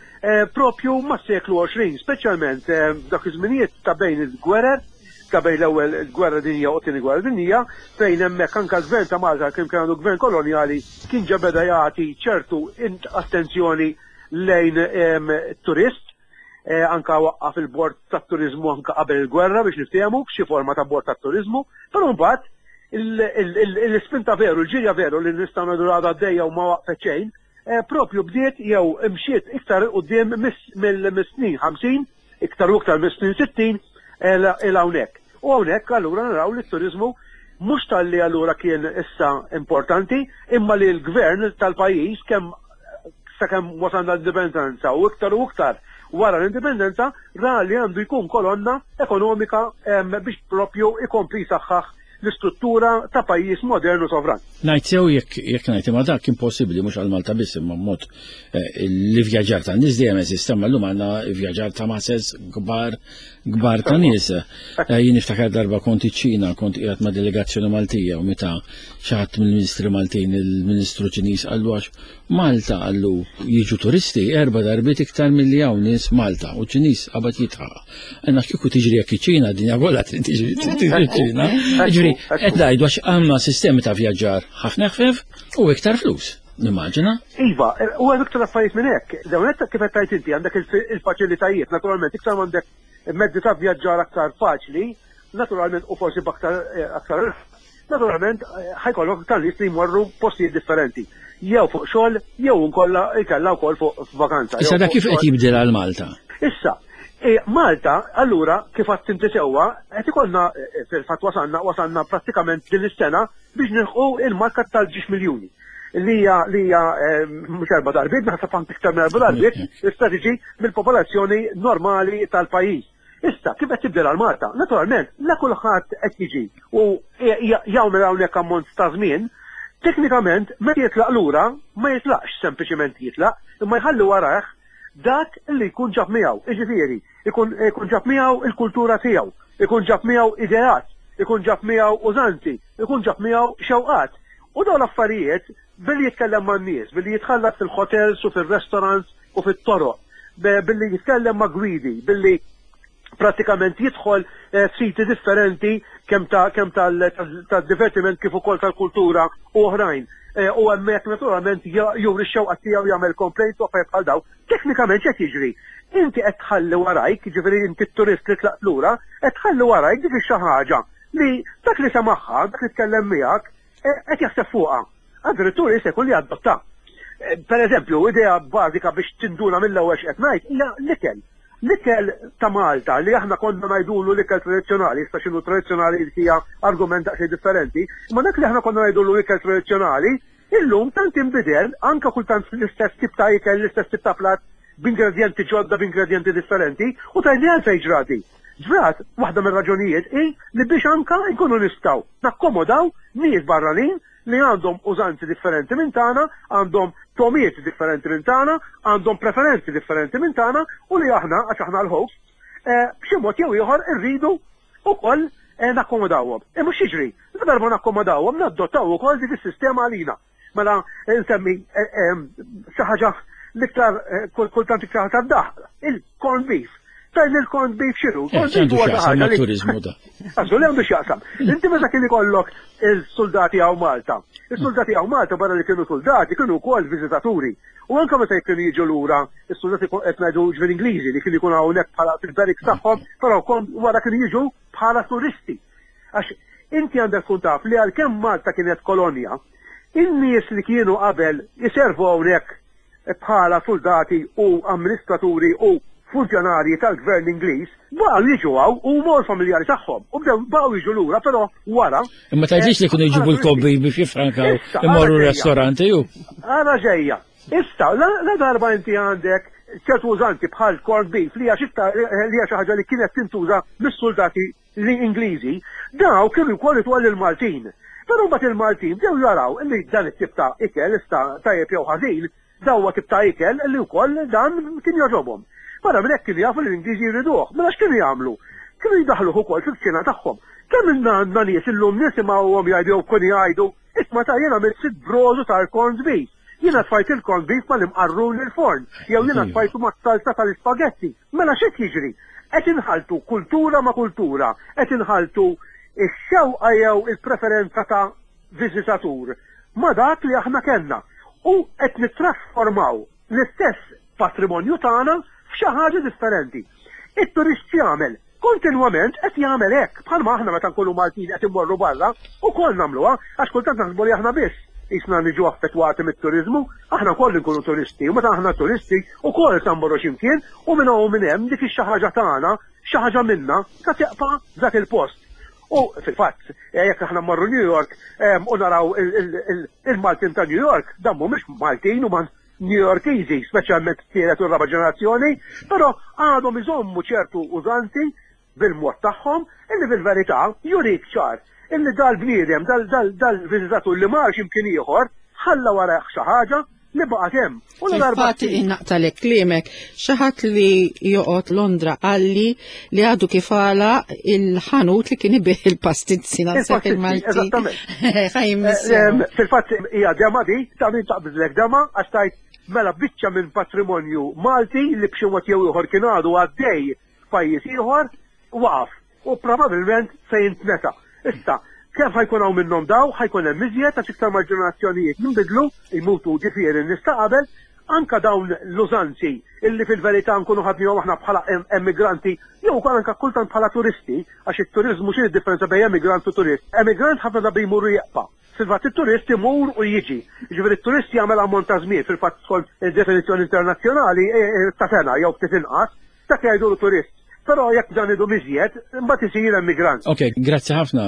propju mas-seklu 20, speċjalment f'dak iż-żminijiet ta' bejn il-gwerer, ta' bejn l-ewwel gwerra dinjija u t-tieni gwerra dinjija, fejn hemmhekk anke l-gvern ta' Malta kien għandu gvern kolonjali kien ġa beda jagħti ċertu attenzjoni lejn turist, anka waqqaf il-bord tat-turiżmu anka qabel il-gwerra biex niftehmu xi forma ta' bord tat-turiżmu, però mbagħad l-ispinta veru, l-ġirja veru li nistgħu ngħidu għadha għaddejja u ma waqfet xejn, propju bdiet jew imxiet iktar 'il quddiem mis-snin 50, iktar u iktar mis-snin 60 'il hawnhekk. U hawnhekk allura naraw li t-turiżmu mhux talli allura kien issa importanti, imma li l-gvern tal-pajjiż kemm sakemm wasalna l-indipendenza u iktar u iktar wara l-indipendenza ra li għandu jkun kolonna ekonomika biex propju ikompli jsaħħaħ l-istruttura ta' pajjiż modern u sovran. Ngħid sew jekk jekk ngħid imma dak impossibbli mhux għal Malta biss imma mod eh, l-ivvjaġġar ta' nies dejjem eżista imma llum għandna ivvjaġġar ta' masses kbar kbar ta' nies. Eh, jien niftakar darba kont iċ-Ċina, kont qiegħed ma' delegazzjoni Maltija u meta xi ħadd mill-Ministri Maltin il-Ministru Ċiniż qallu għax Malta qallu jiġu turisti erba' darbiet iktar milli hawn nies Malta u ċ-Ċiniż qabad jidħaq. Għandna kieku tiġri jekk iċ-Ċina dinja kollha trid tiġri ċ-Ċina. Jiġifieri qed ngħidu għax għandna sistemi ta' vjaġġar ħafna eħfef u iktar flus. Nimmaġina. Iva, u hemm iktar affarijiet minn hekk. Dawn qed kif qed tgħid inti għandek il-faċilitajiet, naturalment iktar m'għandek mezzi ta' vjaġġar aktar faċli, naturalment u forsi b'aktar aktar Naturalment, ħajkollok iktar nies li jmorru postijiet differenti, jew fuq xogħol, jew inkolla jkella wkoll fuq vakanza. Issa da kif qed jibdel għal Malta? Issa, e, Malta, allura, kif għadt inti sewwa, qed ikollna e, fil-fatt wasalna wasalna prattikament din is-sena biex nilħqu il-marka tal-ġiex miljuni li hija li hija e, mhux erba' darbiet, naħseb anke iktar minn erba' darbiet, tista' tiġi mill-popolazzjoni normali tal-pajjiż. Issa, kif qed tibdel għal Malta? Naturalment, la kulħadd qed jiġi u jagħmel hawnhekk ammont ta' żmien, teknikament meta jitlaq lura ma jitlaqx sempliċement jitlaq, imma jħalli warajh dak li jkun ġab miegħu. Jiġifieri, ikun ikun ġab miegħu il-kultura tiegħu, ikun ġab miegħu ideat, ikun ġab miegħu użanzi, ikun ġab miegħu xewqat. U dawn l-affarijiet billi jitkellem man-nies, billi jitħallat fil-hotels u fir-restaurants u fit-toroq, billi jitkellem ma' gwidi, billi prattikament jidħol eh, f'siti differenti kemm ta' kemm tal-divertiment kif ukoll tal-kultura u oħrajn. Eh, u hemmhekk naturalment juri x-xewqa tiegħu jagħmel complaints u affarijiet bħal daw. Teknikament x'qed jiġri? Inti qed tħalli warajk, jiġifieri inti t-turist li tlaqt lura, qed tħalli warajk dik xi ħaġa li dak li semaħħa, dak li tkellem miegħek, eh, qed jaħseb fuqha. Addirittura jista' jkun li adotta. Per eżempju, idea bażika biex tinduna mill-ewwel x'qed ngħid hija l-ikel. L-ikel ta' Malta li aħna konna ngħidulu l-ikel tradizzjonali, issa x'inhu tradizzjonali hija argument daqsxejn differenti, imma dak li aħna konna ngħidulu ikel tradizzjonali, illum tant inbidel, anke kultant l-istess tip ta' ikel, l-istess tip ta' platt, b'ingredjenti ġodda b'ingredjenti differenti u tgħidli għalfejn ġrat di. Ġrat waħda mir-raġunijiet hi li biex anka nkunu nistgħu nakkomodaw nies barranin li għandhom użanzi differenti minn tagħna, għandhom togħmiet differenti minn tagħna, għandhom preferenzi differenti minn tagħna u li aħna, għax aħna l-hosts, b'xi mod jew ieħor irridu wkoll nakkomodawhom. Imma x'jiġri? Ladarba nakkomodawhom nadottaw ukoll dik is-sistema għalina. Mela nsemmi xi ħaġa l-iktar kultant iktar tad-daħq, il-corned beef. Tajn il-corned beef x'inhu? Corned beef huwa xi ħaġa li turiżmu da. Għażlu li għandu x'jaqsam. Inti meta kien ikollok il-soldati hawn Malta. Il-soldati hawn Malta barra li kienu soldati kienu wkoll viżitaturi. U anke meta kienu jiġu lura, is-soldati qed ngħidu ġifieri Ingliżi li kienu jkunu hawnhekk bħala fil-barracks tagħhom, però wara kienu jiġu bħala turisti. Għax inti għandek tkun taf li għalkemm Malta kienet kolonja, in-nies li kienu qabel iservu hawnhekk bħala suldati u amministraturi u funzjonarji tal-gvern Ingliż, baqgħu jiġu hawn huma u l-familjari tagħhom u bdew baqgħu jiġu lura però wara. Imma tgħidlix li kienu jġibu l-kobbi biex jiffrankaw imorru r-restoranti ju. Ara ġejja. Issa, la darba inti għandek ċertu użanti bħal corned beef li hija xi ħaġa li kienet tintuża mis-suldati li Ingliżi, daw kienu wkoll itwal lill-Maltin. Però mbagħad il-Maltin bdew jaraw li dan it-tip ta' ikel issa tajjeb jew ħażin, dan huwa tip ta' ikel li wkoll dan kien jogħġobhom. Barra minn hekk kienu jafu li l-Ingliżi jriduh. Mela x'kienu jagħmlu? Kienu jdaħħluh ukoll fil-kċina tagħhom. Kemm ilna għandna nies illum nisimgħuhom jgħidu jew kienu jgħidu, isma' ta' jien għamilt sitt brodu tal-corned beef. Jiena tfajt il-corned beef mal-imqarrun il-forn, jew jiena tfajtu mas-salsa tal-ispagetti. Mela x'qed jiġri? Qed inħalltu kultura ma' kultura, qed inħalltu x-xewqa jew il-preferenza ta' viżitatur ma' dak li aħna kellna u qed nittrasformaw l-istess patrimonju tagħna f'xi ħaġa differenti. It-turist x'jagħmel? Kontinwament qed jagħmel hekk, bħalma aħna meta nkunu Maltin qed immorru barra, ukoll nagħmluha, għax kultant naħsbu li aħna biss qisna niġu affettwati mit-turiżmu, aħna wkoll inkunu turisti u meta aħna turisti wkoll sa mmorru xi mkien u minn hawn u minn hemm dik ix-xi ħaġa tagħna, xi ħaġa minna, sa tibqa' f'dak il-post. U fil-fatt, jekk aħna mmorru New York u naraw il-Maltin ta' New York, dan mhumiex Maltin huma New Yorkiżi, speċjalment t-tielet u r-raba' ġenerazzjoni, però għadhom iżommu ċertu użanzi bil-mod tagħhom illi fil-verità jurik ċar illi dal-bniedem, dal-viżitatur li mar xi mkien ieħor ħalla warajh xi ħaġa li baqgħet hemm. U ladarba Infatti innaqtalek kliemek, xi ħadd li joqgħod Londra qalli li għadu kif għalaq il-ħanut li kien ibih il-pastizzi naħseb il-Malti. Eżattament. Eh, fil-fatt hija dema di, ta' min taqbiżlek dema għax tajt mela biċċa minn patrimonju Malti li b'xi mod jew ieħor kien għadu għaddej f'pajjiż ieħor waqaf u probabbilment se jintnesa. Issa, kemm ħa jkun hawn minnhom daw, ħa jkun hemm iżjed għax iktar ma l-ġenerazzjonijiet jinbidlu, jmutu ġifieri n-nies ta' qabel, anke dawn l-użanzi illi fil-verità nkunu ħadnihom aħna bħala emigranti jew ukoll anke kultant bħala turisti, għax it-turiżmu x'inhi d-differenza bejn emigrant u turist? Emigrant ħafna drabi jmur u jeqpa'. Fil-fatt it-turist imur u jiġi. Jiġifieri t-turist jagħmel ammont ta' żmien, fil-fatt skont id-definizzjoni internazzjonali ta' sena jew ftit inqas, dak jgħidulu turist. Però jekk dan idum iżjed, imbagħad isir emigrant. Ok, grazzi ħafna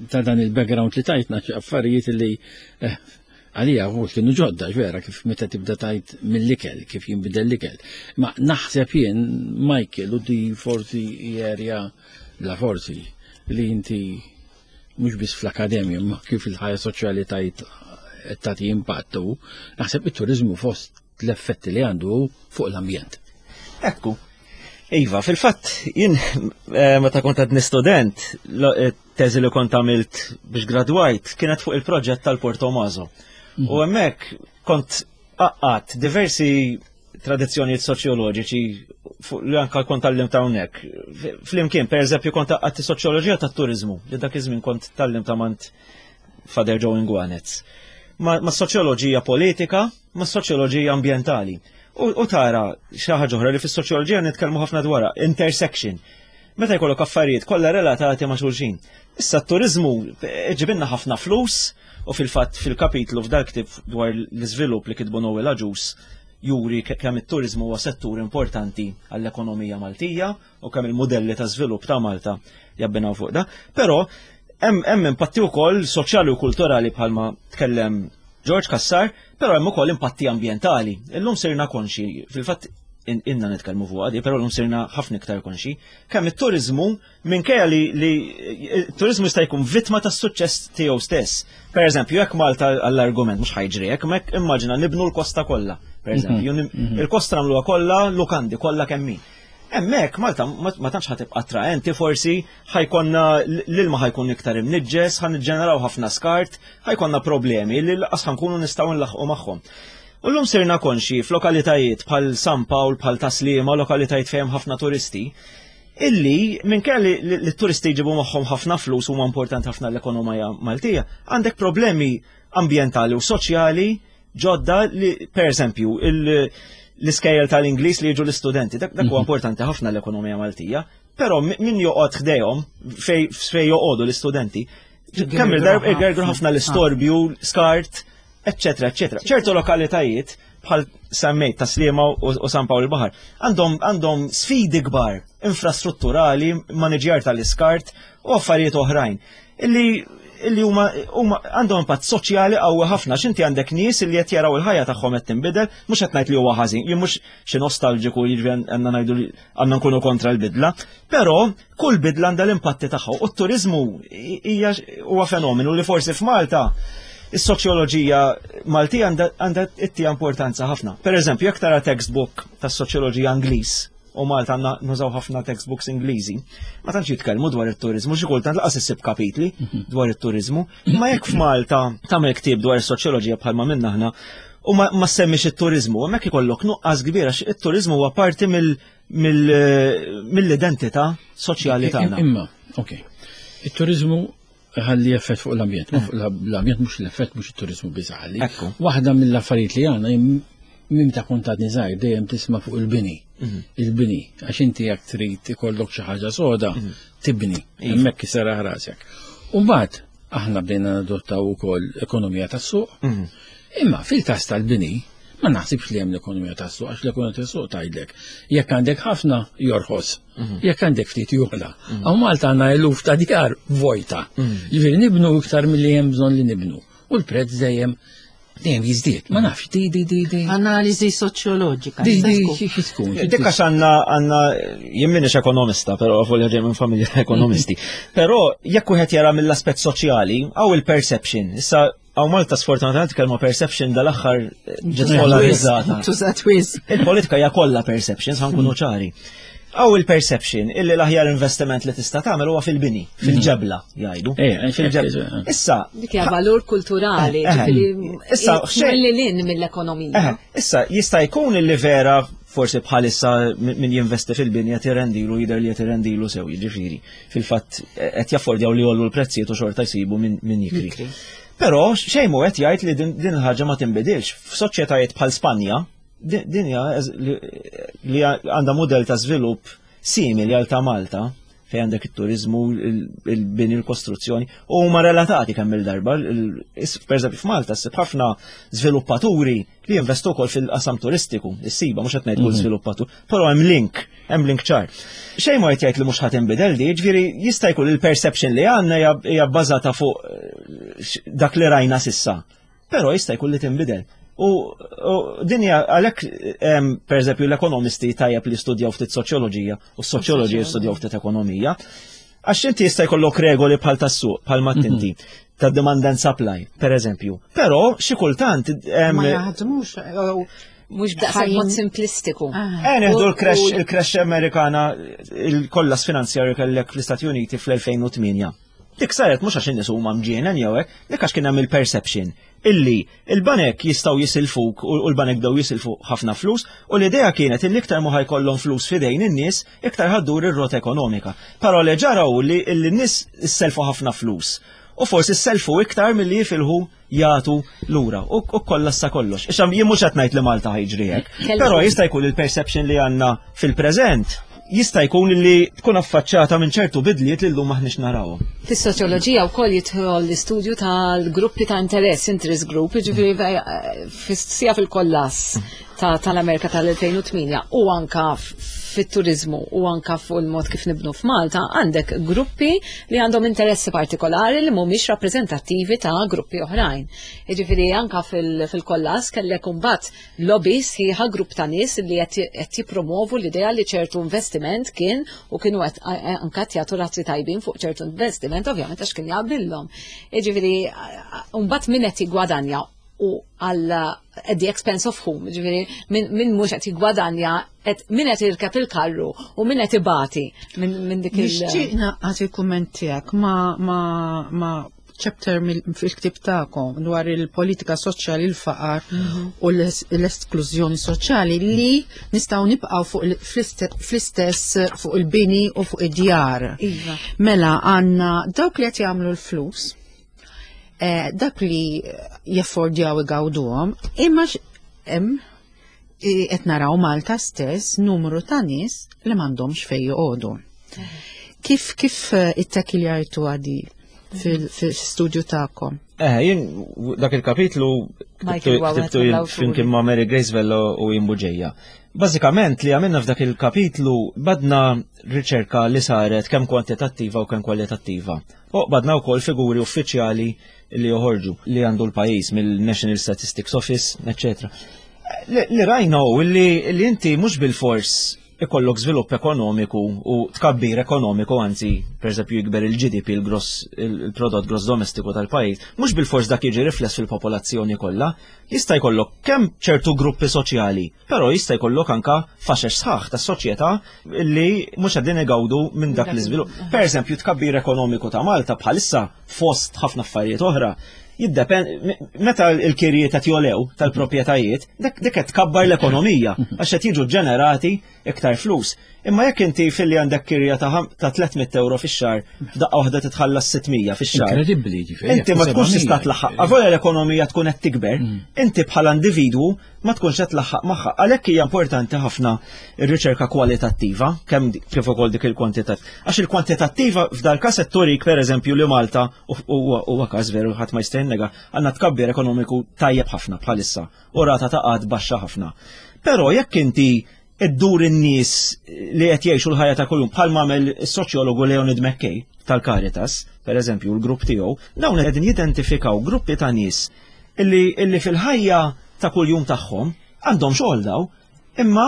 ta' dan il-background li tajtna xi affarijiet li eh, għalija u kienu ġodda vera kif meta tibda tajt mill-ikel, kif jinbidel l-ikel. Ma naħseb jien, Michael, u di forsi erja la forsi li inti mhux biss fl-akademja, ma kif il-ħajja soċjali tajt tagħti impattu, naħseb it-turizmu fost l-effetti li għandu fuq l-ambjent. Ekku. Iva, fil-fatt, jien eh, meta kont għadni student, eh, teżi li kont għamilt biex gradwajt kienet fuq il-proġett tal-Porto Mazo. Mhm. U hemmhekk kont għaqqat diversi tradizzjonijiet soċjoloġiċi li anka kont tallim ta' hawnhekk. Flimkien, per eżempju, kont għaqqat soċjoloġija tat-turizmu, li dak iż-żmien kont tallim ta' mant Father Joe Ingwanez. Ma, ma soċjoloġija politika, ma soċjoloġija ambjentali. U, u tara xi ħaġa oħra li fis-soċjoloġija nitkellmu ħafna dwarha, intersection. Meta jkollok affarijiet kollha relatati ma' xulxin. Issa t-turizmu eh, ġibinna ħafna flus u fil-fatt fil-kapitlu f'dal ktib dwar l-iżvilupp li kitbu Noel Aġus juri kemm it-turizmu huwa settur importanti għall-ekonomija Maltija u kemm il-modelli ta' żvilupp ta' Malta jabbinaw fuq da. Però hemm impatti wkoll soċjali u kulturali bħalma tkellem George Kassar, però hemm ukoll impatti ambjentali. Illum sirna konxi, fil-fatt Inna nitkellmu fuq għadi, però llum sirna ħafna iktar konxi, kemm it-turizmu minkejja li li t-turizmu jista' jkun vittma tas-suċċess tiegħu stess. Per eżempju, jekk Malta għall-argument mhux ħajġri hekk, mek immaġina nibnu l-kosta kollha, per eżempju, il-kosta nagħmluha kollha lukandi kollha kemm hi. Hemmhekk Malta ma tantx ħa tibqa' attraenti forsi ħajkonna l-ilma ħajkun iktar imniġġes, ħa niġġeneraw ħafna skart, ħajkonna problemi li laqas ħankunu nistgħu nlaħħqu magħhom. U llum sirna konxji f'lokalitajiet bħal San Pawl, bħal Tas-Sliema, lokalitajiet fejn hemm ħafna turisti, illi minkejja li t-turisti jġibu magħhom ħafna flus huma importanti ħafna l-ekonomija Maltija, għandek problemi ambjentali u soċjali ġodda li, per eżempju, l-iskejjel tal-Ingliż li jiġu l-istudenti, dak huwa importanti ħafna l-ekonomija Maltija, però min joqgħod ħdejhom fej joqogħdu l-istudenti, kemm il-darba igergru ħafna l-istorbju, skart, eccetera, eccetera. ċertu lokalitajiet bħal semmejt ta' Sliema u San Pawl il-Baħar għandhom għandhom sfidi kbar infrastrutturali, maniġjar tal-iskart u affarijiet oħrajn illi illi huma għandhom impatt soċjali qawwi ħafna x'inti għandek nies illi qed jaraw il-ħajja tagħhom qed tinbidel, mhux qed ngħid li huwa ħażin, jien mhux xi nostalġiku jiġri għandna ngħidu li għandna nkunu kontra l-bidla, però kull bidla għandha l-impatti tagħha u t-turiżmu hija huwa fenomenu li forsi f'Malta is-soċjoloġija Maltija għandha ittija importanza ħafna. Per eżempju, jekk tara textbook tas-soċjoloġija Ingliż, u Malta għandna nużaw ħafna textbooks Ingliżi, ma tantx jitkellmu dwar it-turiżmu, xi kultant laqas issib kapitli dwar it-turiżmu, imma jekk f'Malta tagħmel ktieb dwar is-soċjoloġija bħalma minna aħna u ma semmix it-turiżmu, hemmhekk ikollok nuqqas kbir għax it-turiżmu huwa parti mill-identità soċjali tagħna. Imma, ok. It-turiżmu ħalli effett fuq l-ambjent, ma fuq l-ambjent mhux l-effett mhux it-turiżmu biss ħalli. Waħda mill-affarijiet li għandna minn ta' kont għadni żgħir dejjem tisma' fuq il-bini. Il-bini, għax inti jekk trid ikollok xi ħaġa soda, tibni, hemmhekk iseraħ rasek. U mbagħad aħna bdejna nadottaw ukoll ekonomija tas-suq. Imma fil-każ tal-bini, ma naħsibx li hemm l-ekonomija tas-suq, għax l-ekonomija tas-suq tgħidlek jekk għandek ħafna jorħos, jekk għandek ftit joħla. Hawn Malta għandna eluf ta' djar vojta. Jiġifieri nibnu iktar milli hemm bżonn li nibnu. U l-prezz dejjem dejjem jiżdied. Ma nafx, di di di di. Analiżi soċjoloġika. Di di xi tkun. Dik għax għandna għandna jien m'iniex ekonomista, però volja ġej minn familja ekonomisti. Però jekk wieħed jara mill-aspett soċjali, hawn il-perception. Issa hawn Malta sfortunatament kelma perception dal-aħħar ġiet polarizzata. Tużat wisq. Il-politika hija kollha perceptions, ħa nkunu ċari. Hawn il-perception illi l-aħjar investiment li tista' tagħmel huwa fil-bini, fil-ġebla, jgħidu. Fil-ġebla. Issa. Dik hija valur kulturali, ġifieri Issa, xejn lil hinn mill-ekonomija. Issa jista' jkun illi vera forsi bħalissa min jinvesti fil-bini qed irrendilu jidher li qed irrendilu sew, jiġifieri. Fil-fatt qed jaffordjaw li jgħollu l-prezzijiet u xorta jsibu min jikri. Però xejn mhu qed jgħid li din il-ħaġa ma tinbidilx. F'soċjetajiet bħal Spanja, din hija li għandha mudell ta' żvilupp simili għal ta' Malta, fejn għandek it-turiżmu, il-bini, l-kostruzzjoni, u huma relatati kemm il-darba. Per eżempju f'Malta ssib ħafna żviluppaturi li jinvestu wkoll fil-qasam turistiku, issiba mhux qed ngħid kull żviluppatur, però hemm link, hemm link ċar. Xejn ma qed jgħid li mhux ħadd inbidel di, jiġifieri jista' jkun il-perception li għandna hija bbażata fuq dak li rajna sissa. Però jista' jkun li tinbidel. U din hija għalhekk pereżempju l-ekonomisti tajjeb li studjaw ftit soċjoloġija u s-soċjoloġija jistudjaw ftit ekonomija. Għax inti jista' jkollok regoli bħal tas-suq, bħal ma tinti, ta' demand and supply, per eżempju. Però xi kultant Ma jaħdmux. Mhux b'daqshekk mod simplistiku. Neħdu l-crash, il-crash Amerikana, il-kollas finanzjarju kellek fl-Istati Uniti fl-2008. Dik saret mhux għax in-nies huma mġienen jew hekk, dik għax kien hemm il-perception illi il-banek jistgħu jisilfuk u l-banek bdew jisilfu ħafna flus u l-idea kienet illi iktar ma ħajkollhom flus f'idejn in-nies iktar ħaddur ir-rota ekonomika. Però li ġara hu li n-nies isselfu ħafna flus u forsi sselfu iktar milli jifilħu jagħtu lura u kollassa kollox. Issa jien mhux qed ngħid li Malta ħajġri hekk, però jista' jkun il-perception li għandna fil-preżent jista' jkun li tkun affaċċata minn ċertu bidliet li llum maħniex narawhom. Fis-soċjoloġija wkoll jidħol l-istudju tal-gruppi ta' interess, interest group, jiġifieri sija fil-kollass tal-Amerika tal-2008 u anka fit-turizmu u anka fuq il-mod kif nibnu f'Malta għandek gruppi li għandhom interessi partikolari li mhumiex rappreżentattivi ta' gruppi oħrajn. Jiġifieri anka fil-kollass kellek imbagħad lobby sħiħa grupp ta' nies li qed jippromovu l-idea li ċertu investiment kien u kienu qed anka jagħtu razzi tajbin fuq ċertu investiment ovvjament għax kien jaqbillhom. Jiġifieri mbagħad min qed jiggwadanja u għal at the expense of whom, ġifieri min mhux qed jiggwadanja, min qed jirkeb il-karru u min qed ibati minn dik il- Nixtieq naqqas il-kumment tiegħek ma' chapter fil-ktib tagħkom dwar il-politika soċjali, il-faqar u l-esklużjoni soċjali li nistgħu nibqgħu fuq fl-istess fuq il-bini u fuq id-djar. Iva. Mela għandna dawk li qed jagħmlu l-flus, dak li jaffordjaw igawduhom, imma hemm qed naraw Malta stess numru ta' nies li m'għandhomx fejn joqogħdu. Kif ittakkiljajtu għadi fil-studju tagħkom? Jien dak il-kapitlu Michael huwa wieħed ktibtu jien mill-awturi. flimkien ma' Mary Grace Vello u jien Buġeja. Bażikament li għamilna f'dak il-kapitlu badna riċerka li saret kemm kwantitattiva u kemm kwalitattiva. U badna wkoll figuri uffiċjali li joħorġu li għandu l-pajjiż mill-National Statistics Office, eccetera. Li rajna hu li inti mhux bil-fors ikollok żvilupp ekonomiku u tkabbir ekonomiku, anzi, per eżempju, jikber il-GDP, il-prodott gross domestiku tal-pajjiż, mhux bil-fors dak jiġi rifless fil-popolazzjoni kollha, jista' jkollok kemm ċertu gruppi soċjali, però jista' jkollok anka faxex sħaħ tas-soċjetà li mhux qegħdin igawdu minn dak l-iżvilupp. Per eżempju, tkabbir ekonomiku ta' Malta bħalissa fost ħafna affarijiet oħra, meta l-kirjiet qed jolew tal-proprjetajiet, dik qed tkabbar l-ekonomija għax qed jiġu ġenerati iktar flus. Imma jekk inti filli għandek kirja ta' 300 euro fix-xahar, f'daqqa waħda titħallas 600 fix-xahar. Inkredibbli, ġifieri, Inti ma tkunx 700, tista' tlaħħaq. Avolja l-ekonomija tkun qed tikber, Mm. inti bħala individwu ma tkunx qed tlaħħaq magħha. Għalhekk hija importanti ħafna r-riċerka kwalitattiva, kemm kif ukoll dik il-kwantitattiva. Għax il-kwantitattiva f'dal każ qed turik pereżempju li Malta huwa każ veru ħadd ma jista' jinnega, għandna tkabbir ekonomiku tajjeb ħafna bħalissa u rata ta' qgħad baxxa ħafna. Però jekk inti iddur in-nies li qed jgħixu l-ħajja ta' kuljum bħal m'għamel is-soċjologu Leonid McKay tal-Caritas, per eżempju, l-grupp tiegħu, dawn qegħdin jidentifikaw gruppi ta' nies illi fil-ħajja ta' kuljum tagħhom għandhom xogħol daw, imma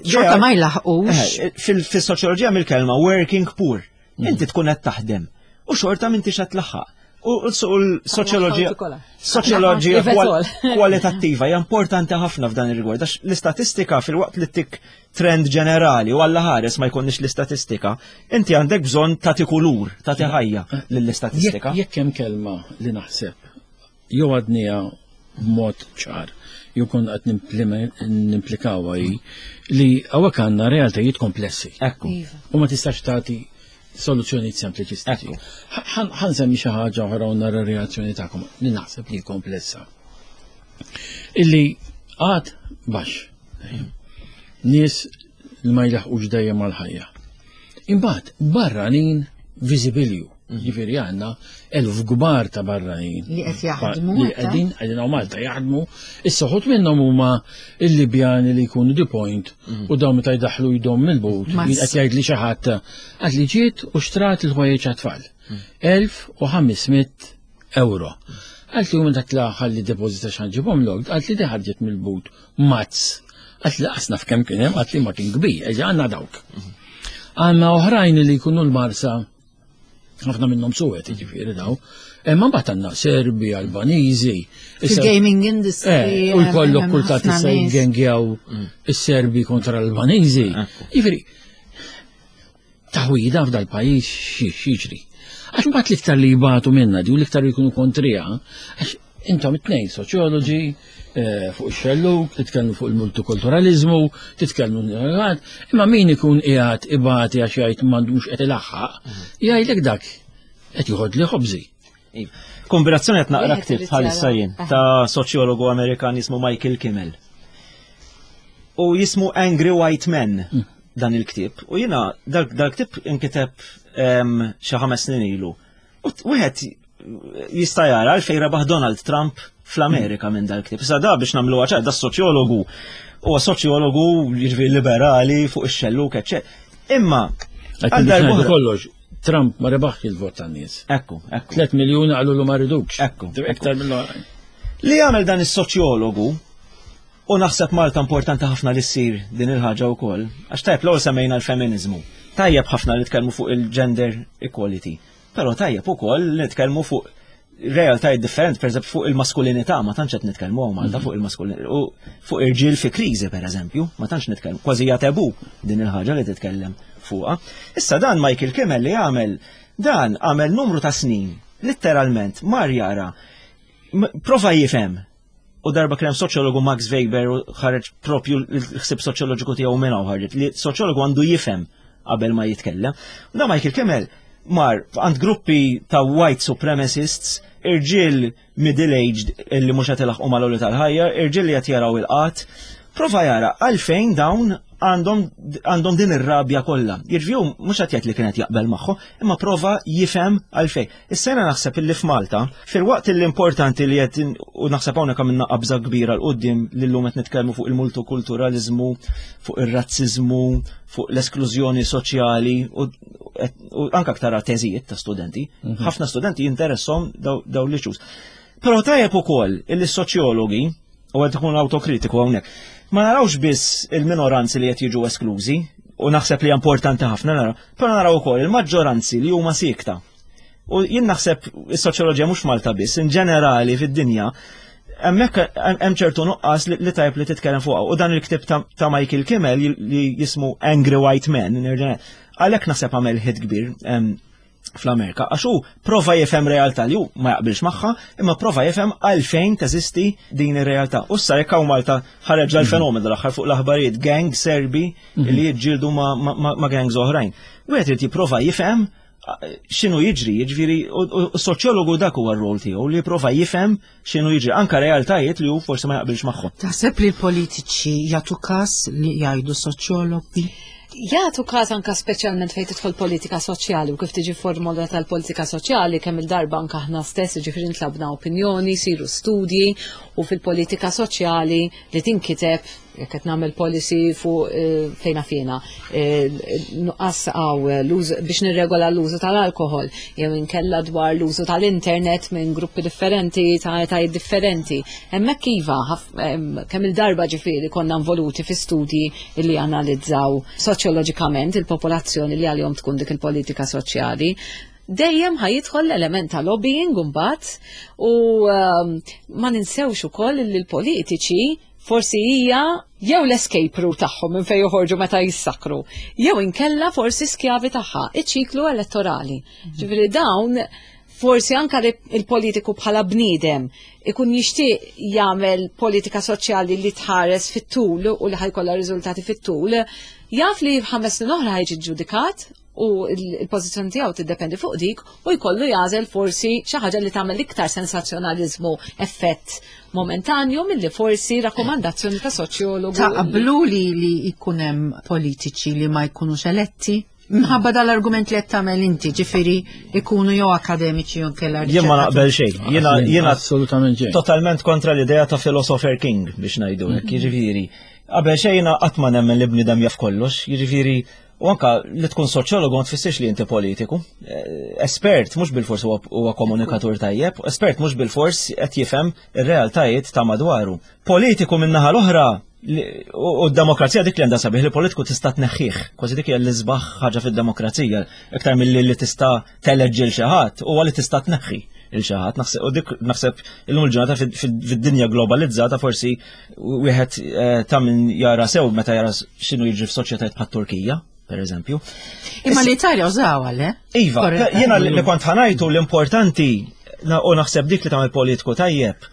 xorta ma jlaħqux. Fil-soċjoloġija mill-kelma working poor, inti tkun qed taħdem u xorta m'intix qed tlaħħaq. U l-soċjoloġija soċjoloġija kwalitattiva hija importanti ħafna f'dan ir-rigward, għax l-istatistika fil-waqt li tik trend ġenerali u alla ħares ma jkunniex l-istatistika, inti għandek bżonn tagħti kulur, tagħti ħajja lill-istatistika. Jekk hemm kelma li naħseb jew għadnija b'mod ċar, jew kon qed nimplikawha hi li hawnhekk għandna realtajiet komplessi. Ekku. Iva. U ma tistax tagħti soluzzjonijiet sempliċistiċi. Ekku. Ħa nsemmi xi ħaġa oħra u nara reazzjoni tagħkom li naħseb li komplessa. Illi għad baxx. Nies li ma jlaħqux dejjem mal-ħajja. Imbagħad barranin viżibilju. Ġifieri għandna elf kbar ta' barranin. Li qed jaħdmu, Li ta' qegħdin hawn Malta jaħdmu. Issa ħut minnhom huma il-Libjani li jkunu the point u dawn meta jdaħħlu jdhom mill-but, Mas- jien qed jgħid li xi ħadd għad li ġiet u xtrat il-ħwejjeġ għat-tfal. 1500 euro. Għalt li meta tla ħalli depożita x'ħanġibhom lok, għalt li di ħarġet mill-but mazz. Għalt li qasna f'kemm kien hemm, għalt li ma kien kbir, eġa għandna dawk. Għandna oħrajn li jkunu l-Marsa, ħafna minnhom suwed, jiġifieri daw. Imma mbagħad għandna Serbi, Albaniżi. Issa- Fil-gaming industry. U jkollok hemm kultant ħafna issa nies. jiggengjaw is-Serbi kontra l-Albaniżi. Jiġifieri, taħwida f'dal pajjiż x'jiġri. Għax mbagħad l-iktar li jibatu minna di u l-iktar li jkunu kontrija, għax intom it-tnejn soċjoloġi, fuq ix-xellug, titkellmu fuq il-multikulturalizmu, titkellmu imma min ikun qiegħed ibati għax jgħid m'għandux qed ilaħħaq, jgħidlek dak qed joħod li ħobżi. Iva. Kombinazzjoni qed naqra Wieħed ktieb irid bħalissa jara. jien ta' soċjologu Amerikan jismu Michael Kimmel. U jismu Angry White Men dan il-ktieb. U jiena dal-ktieb inkiteb xi 5 snin ilu. U wieħed jista' jara għalfejn rebaħ Donald Trump fl-Amerika minn dal-ktieb. Issa da biex nagħmluha ċar, da soċjologu Huwa soċjologu, jiġifieri liberali fuq ix-xelluk, eċċetera. Imma għal darba kollox, Trump ma rebaħx il-vot tan-nies. Ekku, ekku. 3 miljuni qalu lu ma ridux. Ekku. Iktar mill Li jagħmel dan is-soċjologu u naħseb Malta importanti ħafna li ssir din il-ħaġa wkoll, għax tajjeb l-ewwel semmejna l-feminiżmu. Tajjeb ħafna li tkellmu fuq il-gender equality, però tajjeb ukoll li nitkellmu fuq realtajiet differenti, per eżempju fuq il-maskulinità, ma tantx qed nitkellmu hawn Malta fuq il-maskulinità, u fuq irġiel fi kriżi per eżempju, ma tantx nitkellmu, kważi hija tabu din il-ħaġa li titkellem fuqha. Issa dan Michael Kimmel li għamel, dan għamel numru ta' snin, litteralment mar jara, prova jifhem u darba kien hemm soċjologu Max Weber u ħareġ propju l-ħsieb soċjoloġiku tiegħu minn hawn ħarġet li soċjologu għandu jifhem qabel ma jitkellem. U da Michael Kimmel mar għand gruppi ta' white supremacists, irġiel middle-aged li mhux qed ilaħqu mal tal-ħajja, irġiel li qed jaraw il-qatt, prova jara għalfejn dawn għandhom din ir-rabja kollha. Jiġifieri mhux qed jgħid li kienet jaqbel magħhom, imma prova jifhem għalfejn. Issa naħseb illi f'Malta, filwaqt li importanti li qed u naħseb hawnhekk għamilna qabża kbira 'l quddiem li llum qed nitkellmu fuq il-multikulturaliżmu, fuq ir-razziżmu, fuq l-esklużjoni soċjali u anke aktar teżijiet ta' studenti. Ħafna studenti jinteressom daw l-issues. Però tajjeb ukoll illi s-soċjologi, u qed ikun awtokritiku hawnhekk, ma narawx biss il-minoranzi li qed jiġu esklużi, u naħseb li importanti ħafna naraw, però naraw ukoll il-maġġoranzi li huma siekta. U jien naħseb is-soċjoloġija mhux Malta biss, in ġenerali fid-dinja, hemmhekk hemm ċertu nuqqas li tajb li titkellem fuqha. U dan il-ktieb ta' Michael Kimmel li jismu Angry White Men, għalhekk naħseb għamel hit kbir fl-Amerika, għax hu prova jifhem realtà li hu ma jaqbilx magħha, imma prova jifhem għalfejn teżisti din ir-realtà. U issa jekk hawn Malta ħareġ dal-fenomenu l-aħħar fuq l-aħbarijiet gang Serbi li jiġġieldu ma' gangs oħrajn. Wieħed irid jipprova jifhem x'inhu jiġri, jiġifieri u s-soċjologu dak huwa r-rol tiegħu li jipprova jifhem x'inhu jiġri, anka realtajiet li hu forsi ma jaqbilx magħhom. Taħseb li l-politiċi jagħtu każ li jgħidu soċjologi? Jagħtu każ anka speċjalment fejn tidħol politika soċjali u kif tiġi formulata l-politika soċjali kemm il-darba anka aħna stess jiġifieri ntlabna opinjoni, siru studji u fil-politika soċjali li tinkiteb jekk qed nagħmel policy fuq eh, fejna fina eh, nuqqas għaw eh, biex nirregola l-użu tal-alkohol jew inkella dwar l-użu tal-internet minn gruppi differenti ta' etajiet differenti. Hemmhekk iva kemm il-darba ġifieri konna involuti fi studji li analizzaw soċjoloġikament il-popolazzjoni li għalihom tkun dik il-politika soċjali dejjem ħajidħol l-element ta' lobbying imbagħad u ma ninsewx ukoll li l-politiċi forsi hija jew l-escape route tagħhom minn fejn joħorġu meta jissakru, jew inkella forsi skjavi tagħha, iċ-ċiklu elettorali. Ġifieri dawn forsi anka il-politiku bħala bniedem ikun jixtieq jagħmel politika soċjali li tħares fit-tul u li ħajkollha riżultati fit-tul, jaf li f'ħames snin oħra ħajġi ġudikat u l-pożizzjoni tiegħu tiddependi fuq dik u jkollu jagħżel forsi xi ħaġa li tagħmel iktar sensazzjonaliżmu effett momentanju milli forsi rakkomandazzjoni ta' soċjologu. Taqblu li li jkun hemm politiċi li ma jkunux eletti? Mħabba dal-argument li qed tagħmel inti, ġifieri ikunu jew akademiċi jew kellha Jien ma naqbel xejn. Jiena jiena assolutament xejn. Totalment kontra l-idea ta' philosopher king biex ngħidu hekk, jiġifieri. Qabel xejn jiena qatt ma nemmen li bniedem jaf kollox, jiġifieri U anka li tkun soċjologu ma tfissirx li inti politiku. Espert mhux bilfors huwa komunikatur tajjeb, espert mhux bilfors qed jifhem ir-realtajiet ta' madwaru. Politiku min-naħa l-oħra u d-demokrazija dik li għandha sabiħ li politiku tista' tneħħih, kważi dik hija l-isbaħ ħaġa fid-demokrazija, iktar milli li tista' teleġġi l xi ħadd huwa li tista' tneħħi il xi ħadd. U dik naħseb illum il-ġurnata fid-dinja globalizzata forsi wieħed eh, ta' min jara sew meta jara x'inhu jiġri f'soċjetajiet bħat-Turkija, per eżempju. Imma l-Italja użawha, le? Iva, jiena li kont ħanajtu l-importanti u naħseb dik li tagħmel politiku tajjeb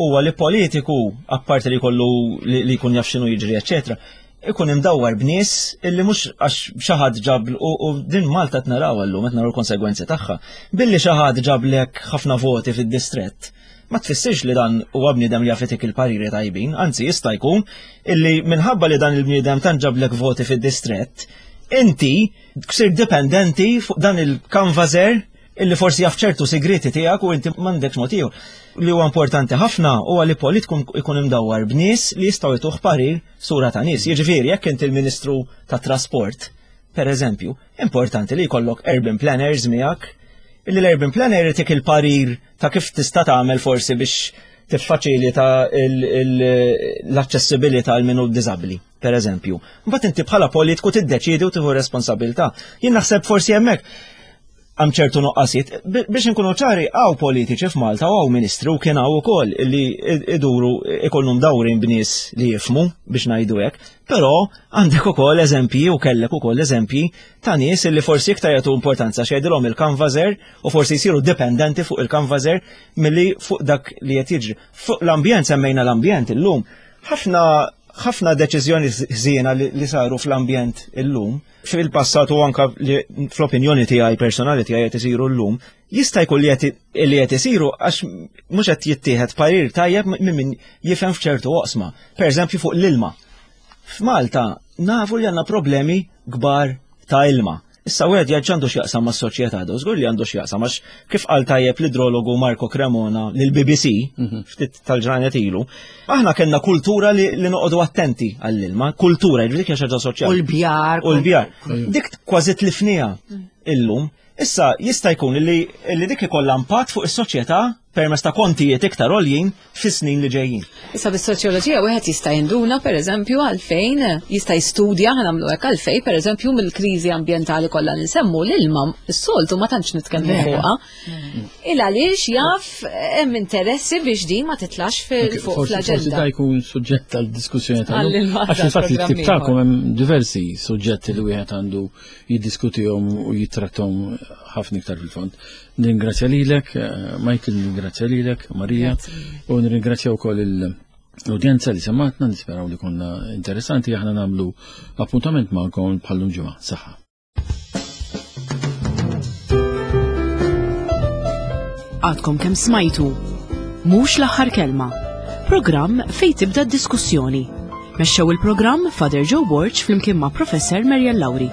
huwa li politiku apparti li jkollu li jkun jaf x'inhu jiġri, eċetera, ikun imdawwar b'nies illi mhux għax xi ħadd ġab u din Malta qed naraw llum qed naraw l-konsegwenzi tagħha. Billi xi ħadd ġablek ħafna voti fid-distrett, ma tfissirx li dan huwa bniedem li jaf itik il-pariri tajbin, anzi jista' jkun illi minħabba li dan il-bniedem tant ġablek voti fid-distrett, inti ksir dipendenti fuq dan il-kanvaser. illi forsi jaf ċertu sigriti tiegħek u inti m'għandekx mod ieħor. Li huwa importanti ħafna huwa li politiku jkun imdawwar b'nies li jistgħu jtuh parir sura ta' nies. Jiġifieri jekk inti l-Ministru tat-Trasport, per eżempju, importanti li jkollok urban planners miegħek, illi l-urban planner jtik il-parir ta' kif tista' tagħmel forsi biex tiffaċilita l-aċċessibilità għal min hu diżabbli, per eżempju. Mbagħad inti bħala politiku tiddeċiedi u tieħu responsabilità. Jien naħseb forsi hemmhekk hemm ċertu nuqqasijiet. Biex inkunu ċari, hawn politiċi f'Malta u hawn ministri u kien hawn ukoll li iduru ikollhom dawrin b'nies li jifhmu biex ngħidu hekk, però għandek ukoll eżempji u kellek ukoll eżempji ta' nies li forsi iktar jagħtu importanza x'jgħidilhom il-kanvażer u forsi jsiru dipendenti fuq il-kanvażer milli fuq dak li qed jiġri. Fuq l-ambjent semmejna l-ambjent illum. Ħafna ħafna deċiżjoni ħżiena li saru fl-ambjent illum fil-passat u anka li fl-opinjoni tiegħi personali tiegħi qed isiru llum, jista' jkun li qed isiru għax mhux qed jittieħed parir tajjeb minn min jifhem f'ċertu oqsma. Per eżempju fuq l-ilma. F'Malta nafu li għandna problemi kbar ta' ilma. Issa wieħed jgħid x'għandu x'jaqsam mas-soċjetà do, żgur li għandu x'jaqsam għax kif qal tajjeb l-idrologu Marco Cremona lill-BBC ftit tal-ġranet ilu, aħna kellna kultura li, li noqogħdu attenti għall-ilma, kultura, jiġifieri dik hija xi ħaġa soċjali. U l-bjar. U l-bjar. Dik kważi tlifniha illum. Issa jista' jkun li, li dik ikollha impatt fuq is-soċjetà permezz ta' kontijiet iktar għoljin fis-snin li ġejjin. Issa bis-soċjoloġija wieħed jista' jinduna pereżempju għalfejn jista' jistudja ħa nagħmlu hekk għalfejn pereżempju mill-kriżi ambjentali kollha li nsemmu l-ilma s-soltu ma tantx nitkellmu fuqha. Il għaliex jaf hemm interessi biex din ma titlax fuq Forsi fl-aġenda. da jkun suġġett tal-diskussjoni tal Għall-ilma Għax fil-fatt il-ktib tal-programm tagħkom hemm diversi suġġetti li wieħed għandu jiddiskutihom u jittrattahom ħafna iktar fil-fond. Nirringrazzja lilek, Michael, nirringrazzja lilek, Marija, u nirringrazzja wkoll l-udjenza li sematna, nisperaw li konna interessanti, aħna nagħmlu appuntament magħkom bħallum ġimgħa. Saħħa. Għadkom kemm smajtu. Mhux l-aħħar kelma. Programm fejn tibda d-diskussjoni. Mexxew il-programm Father Joe Borg flimkien ma' Professor Marian Lauri.